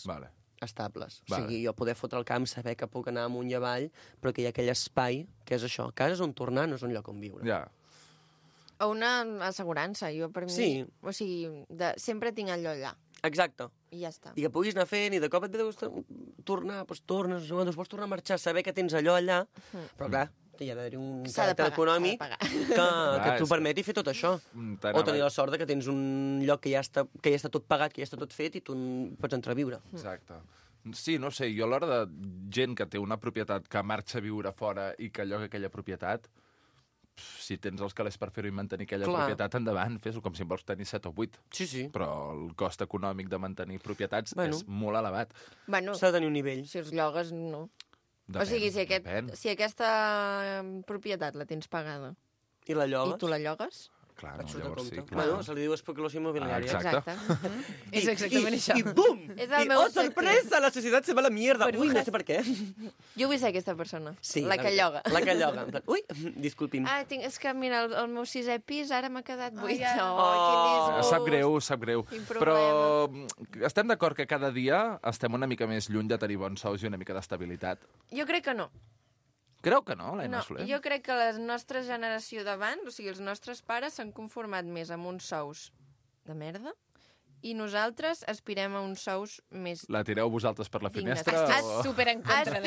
Estables. O sigui, jo poder fotre el camp, saber que puc anar amunt i avall, però que hi ha aquell espai, que és això. Casa és on tornar, no és un lloc on viure. Ja. O una assegurança, jo per mi... Sí. O sigui, sempre tinc allò allà. Exacte. I ja està. I que puguis anar fent, i de cop et ve de tornar, doncs tornes, doncs vols tornar a marxar, saber que tens allò allà, però clar, hi ha d'haver un S'ha de caràcter pagar, econòmic s'ha que t'ho permeti fer tot això. O tenir la sort que tens un lloc que ja està tot pagat, que ja està tot fet i tu pots entrar a viure. Exacte. Sí, no sé, jo a l'hora de gent que té una propietat que marxa a viure fora i que lloga aquella propietat, si tens els calés per fer-ho i mantenir aquella propietat, endavant, fes-ho com si en vols tenir 7 o 8. Sí. Però el cost econòmic de mantenir propietats és molt elevat. Bueno, s'ha de tenir un nivell. Si els llogues, no. Depèn, O sigui, si aquesta propietat la tens pagada i la llogues, i tu la llogues, Clar, et no, surt a llavors compte. sí, clar. Bueno, se li diu especulació immobiliària. Exacte. És exactament això. I bum! És el meu sorpresa! La societat se va a la mierda. Ui, no sé per què. jo vull ser aquesta persona, Sí, la que lloga. La que lloga. En plan, ui, disculpi'm. Ah, és que mira, el meu 6è pis ara m'ha quedat buit. ja. Quin disgust. Sap greu. Quin Però estem d'acord que cada dia estem una mica més lluny de tenir bons sous i una mica d'estabilitat. Jo crec que no. Creu que no, l'Aina No, Soler? jo crec que la nostra generació d'abans, o sigui, els nostres pares s'han conformat més amb uns sous de merda i nosaltres aspirem a uns sous més... La tireu vosaltres per la dignes. finestra? Estàs super en contra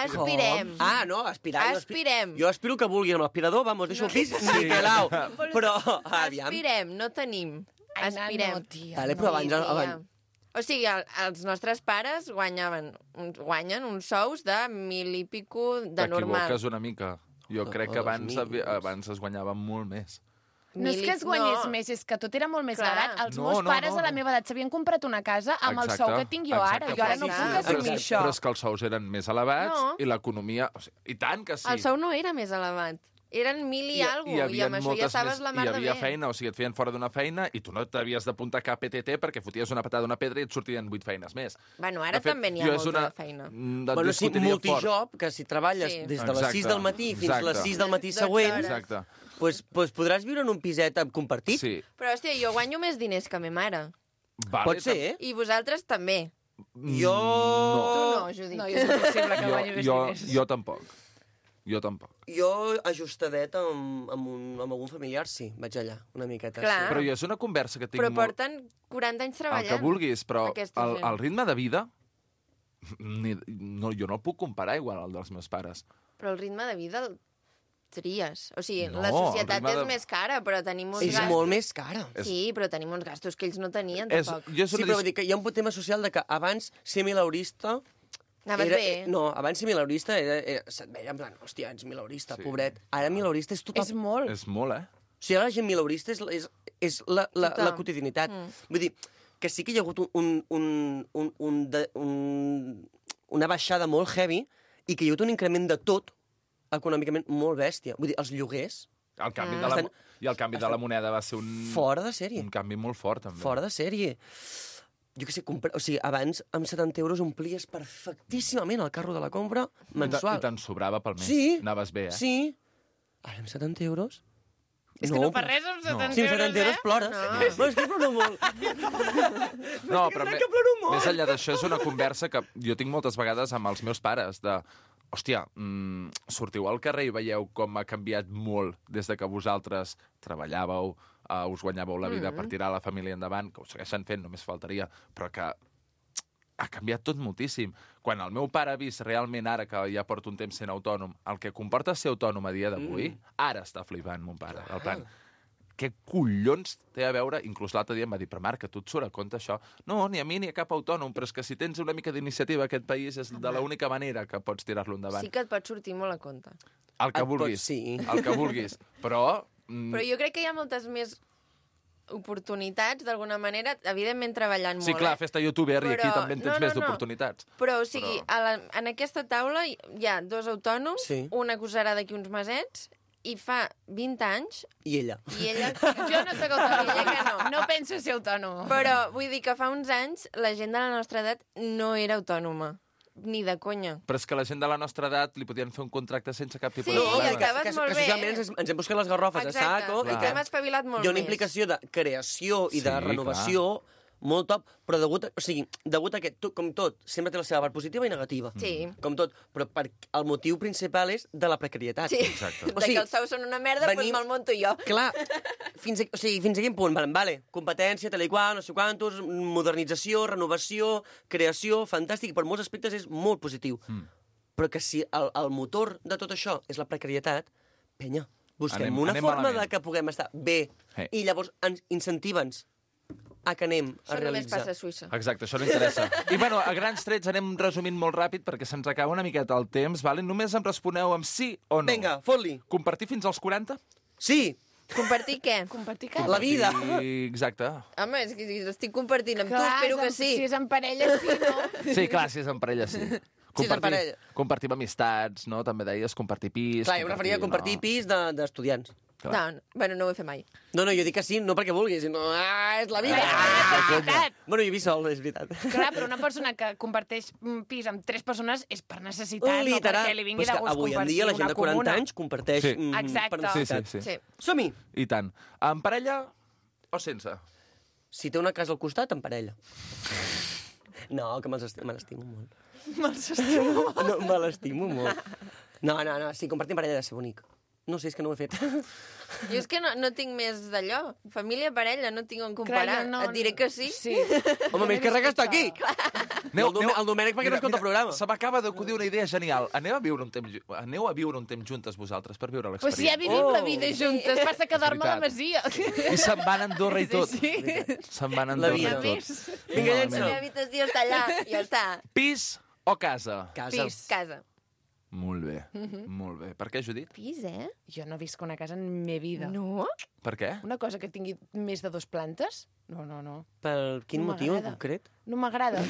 Aspirem. Ah, no, aspirar. Aspirem. Jo aspiro que vulgui amb l'aspirador, vamos, deixo el pis, niquelau. Però, aviam. Aspirem, no tenim. Aspirem. no, tia, Vale, però abans... O sigui, els nostres pares guanyen uns sous de 1.000 i pico de normal. T'equivoques una mica. Jo crec que abans es guanyava molt més. No és que es guanyés més, és que tot era molt més barat. Els meus pares a la meva edat s'havien comprat una casa amb el sou que tinc jo ara. Jo ara no puc assumir això. Però és que els sous eren més elevats i l'economia... I tant que sí. El sou no era més elevat. Eren 1.000 i alguna cosa, i amb això ja estaves la mar de bé. Hi havia feina, o sigui, et feien fora d'una feina i tu no t'havies d'apuntar cap PTT perquè foties una patada d'una pedra i et sortien 8 feines més. Bueno, ara també n'hi ha molta feina. Bueno, sí, multijob, que si treballes des de les 6 del matí fins a les 6 del matí següent, doncs podràs viure en un piset compartit. Sí. Però, hòstia, jo guanyo més diners que ma mare. Pot ser, eh? I vosaltres també. Jo... Tu no, Judit. No, és impossible que guanyi més diners. Jo tampoc. Jo tampoc. Jo, ajustadet amb algun familiar, sí, vaig allà, una miqueta. Clar. Sí. Però és una conversa que tinc... Però porten 40 anys treballant. El que vulguis, però el ritme de vida... jo no el puc comparar igual al dels meus pares. Però el ritme de vida el tries. O sigui, la societat és més cara, però tenim uns gastos... És molt més cara. Sí, però tenim uns gastos que ells no tenien, tampoc. Sí, però vull dir que hi ha un tema social de que abans ser mileurista... Anaves bé. No, abans ser mileurista se't veia en plan, hòstia, ets mileurista, pobret. Ara mileurista és total... És molt. És molt, eh? O sigui, ara la gent mileurista és la quotidianitat. Vull dir, que sí que hi ha hagut una baixada molt heavy i que hi ha hagut un increment de tot econòmicament molt bèstia. Vull dir, els lloguers... El canvi de la moneda va ser un... Fora de sèrie. Un canvi molt fort, també. Fora de sèrie. Jo què sé, o sigui, abans amb 70 euros omplies perfectíssimament el carro de la compra mensual. I te'n sobrava pel mes. Sí. Anaves bé, eh? Sí. Ara amb 70 euros... És que no fa res amb 70 euros, Sí, amb 70 euros plores. No. És que ploro molt. No, però més enllà d'això és una conversa que jo tinc moltes vegades amb els meus pares de... Hòstia, sortiu al carrer i veieu com ha canviat molt des de que vosaltres treballàveu, us guanyàveu la vida per tirar la família endavant, que ho segueixen fent, només faltaria, però que ha canviat tot moltíssim. Quan el meu pare ha vist realment ara, que ja porta un temps sent autònom, el que comporta ser autònom a dia d'avui, ara està flipant, mon pare. El plan, què collons té a veure? Inclús l'altre dia em va dir, però Marc, que tu et surt a compte això? No, ni a mi ni a cap autònom, però és que si tens una mica d'iniciativa aquest país és de l'única manera que pots tirar-lo endavant. Sí que et pot sortir molt a compte. El que vulguis, el que vulguis. Però... Però jo crec que hi ha moltes més oportunitats, d'alguna manera, evidentment treballant molt. Sí, clar, fes-te youtuber i aquí també en tens més d'oportunitats. Però, o sigui, en aquesta taula hi ha 2 autònoms, una acusarà d'aquí uns mesets, i fa 20 anys... I ella. Jo no soc autònoma, ella que no. No penso ser autònoma. Però vull dir que fa uns anys la gent de la nostra edat no era autònoma. Ni de conya. Però és que la gent de la nostra edat li podien fer un contracte sense cap tipus de problema. Sí, que socialment ens hem buscat les garrofes a saco. I que hem espavilat molt més. Hi ha una implicació de creació i de renovació molt top, però degut a que, com tot, sempre té la seva part positiva i negativa. Sí. Com tot, però el motiu principal és de la precarietat. Sí, de que els sous són una merda, doncs me'l monto jo. Clar, fins a quin punt? Vale, competència, tal i qual, no sé quantos, modernització, renovació, creació, fantàstic, i per molts aspectes és molt positiu. Però que si el motor de tot això és la precarietat, penya, busquem una anem forma malament. de que puguem estar bé i llavors ens incentiva'ns a que anem a Això només realitzar. passa a Suïssa. Exacte, això no interessa. I, bueno, a grans trets anem resumint molt ràpid perquè se'ns acaba una miqueta el temps, vale? Només em responeu amb sí o no. Vinga, fot-li. Compartir fins als 40? Sí. Compartir què? Compartir què? La vida. Exacte. Home, és que si l'estic compartint amb tu, Clar, espero que sí. Si és en parella, sí, no? Sí, clar, si és en parella, sí. Si és en parella. Compartir amistats, no? També deies compartir pis. Clar, jo em referia a compartir pis d'estudiants. No, bueno, no ho he fet mai. No, jo dic que sí, no perquè vulgui, sinó... és la vida. Bueno, jo he vist sol, és veritat. Clar, però una persona que comparteix un pis amb 3 persones és per necessitat, Literal. no perquè li vingui Però és de que gust avui en compartir dia la gent una de 40 comuna. anys comparteix Sí. Exacte. per necessitat. Sí. Som-hi. I tant. En parella o sense? Si té una casa al costat, en parella. No, que me l'estimo molt. Me'ls estimo. No, me l'estimo molt. No, sí, compartir en parella ha de ser bonic. No sé, és que no ho he fet. Jo és que no tinc més d'allò. Família, parella, no tinc on comparar. Clar, Et diré que sí. Sí. Home, més que res que està aquí. El Domènec perquè no escolta el programa. Se m'acaba d'acudir una idea genial. Aneu a viure un temps juntes vosaltres per viure Però si ja l'experiència. vivim la vida juntes, passa que dorm a la masia. I se'n van a Andorra i tot. Sí. Se'n van a La Andorra i vida. tot. Vinga, La llença. meva habitació està allà, ja està. Pis o casa? Casa. Casa. Molt bé, molt bé. Per què, Judit? Pis, Jo no visc una casa en la meva vida. No? Per què? Una cosa que tingui més de 2 plantes? No. Per quin No motiu en m'agrada. concret? No m'agrada.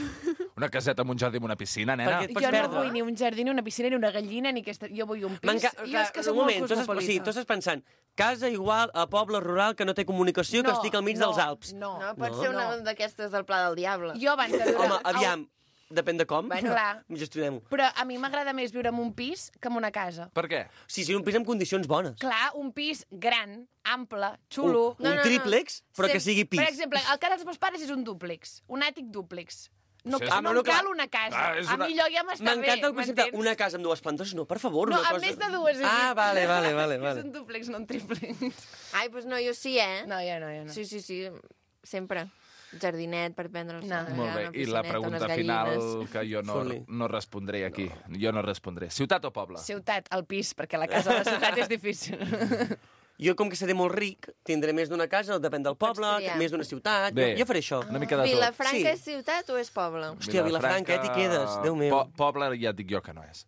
Una caseta amb un jardí i una piscina, nena? Perquè et pots Jo no perdre. vull ni un jardí, ni una piscina, ni una gallina, ni aquesta... Jo vull un pis. Jo és que soc un molt moment, tu cosmopolita. estàs pensant casa igual a poble rural que no té comunicació, que estic al mig dels Alps. No, No, pot ser una d'aquestes del Pla del Diable. Jo abans de viure... Home, aviam, depèn de com. Bueno, clar. Gestionem-ho. Però a mi m'agrada més viure en un pis que en una casa. Per què? Sí, un pis amb condicions bones. Clar, un pis gran, ample, xulo... Un triplex, però que sigui pis. Per exemple, el cas dels meus pares és un dúplex, un àtic dúplex. No, Sí, no, no, em cal clar. una casa. Ah, és A una- mi allò ja m'està bé, M'encanta el concepte, m'entens? una casa amb 2 plantes. No, per favor, No, una amb cosa... més de 2. Ah, vale. És un dúplex, no un triplex. Ai, doncs no, jo sí, No, jo no. Sí, sempre. Jardinet per prendre el sol. Molt bé, una i la piscineta, pregunta unes final gallines. que jo no respondré aquí. Jo no respondré. Ciutat o poble? Ciutat, el pis, perquè la casa de la ciutat és difícil. Jo, com que seré molt ric, tindré més d'una casa, depèn del poble, triar. més d'una ciutat... Bé. Jo faré això. Una mica de tot. Vilafranca Sí. és ciutat o és poble? Hòstia, Vilafranca, t'hi quedes, Déu meu. Poble ja et dic jo que no és.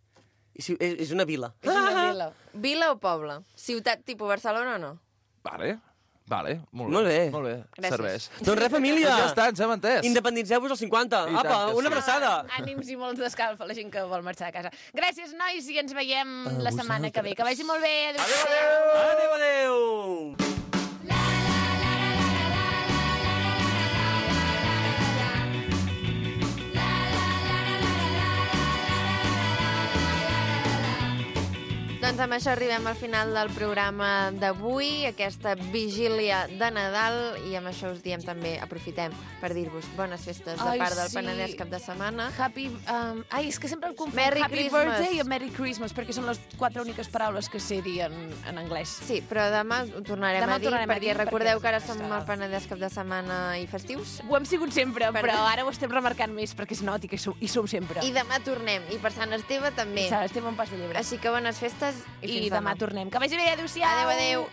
És una vila. És una vila. Vila o poble? Ciutat tipus Barcelona o no? Vale, molt Molt bé. Molt bé, Gràcies. serveix. Doncs res, família. Ja està, ens hem entès. Independitzeu-vos als 50. I tant Apa, que una sí. abraçada. Ànims i molts d'escalf a la gent que vol marxar a casa. Gràcies, nois, i ens veiem la setmana que ve. Que vagi molt bé. Adéu, adéu. Doncs amb això arribem al final del programa d'avui, aquesta vigília de Nadal, i amb això us diem també, aprofitem per dir-vos bones festes de part del Penedès cap de setmana. Happy... Ai, és que sempre el confonc. Merry Happy Christmas. Birthday i Merry Christmas, perquè són les 4 úniques paraules que sé dir en anglès. Sí, però demà ho tornarem Demà a dir, tornarem a perquè dir, recordeu perquè que ara està. som al Penedès cap de setmana i festius. Ho hem sigut sempre, però ara ho estem remarcant més perquè es noti que hi som sempre. I demà tornem, i per Sant Esteve també. Estem un pas de llebre. Així que bones festes i I fins demà tornem. Que vagi bé, adéu-siau. Adéu, adéu.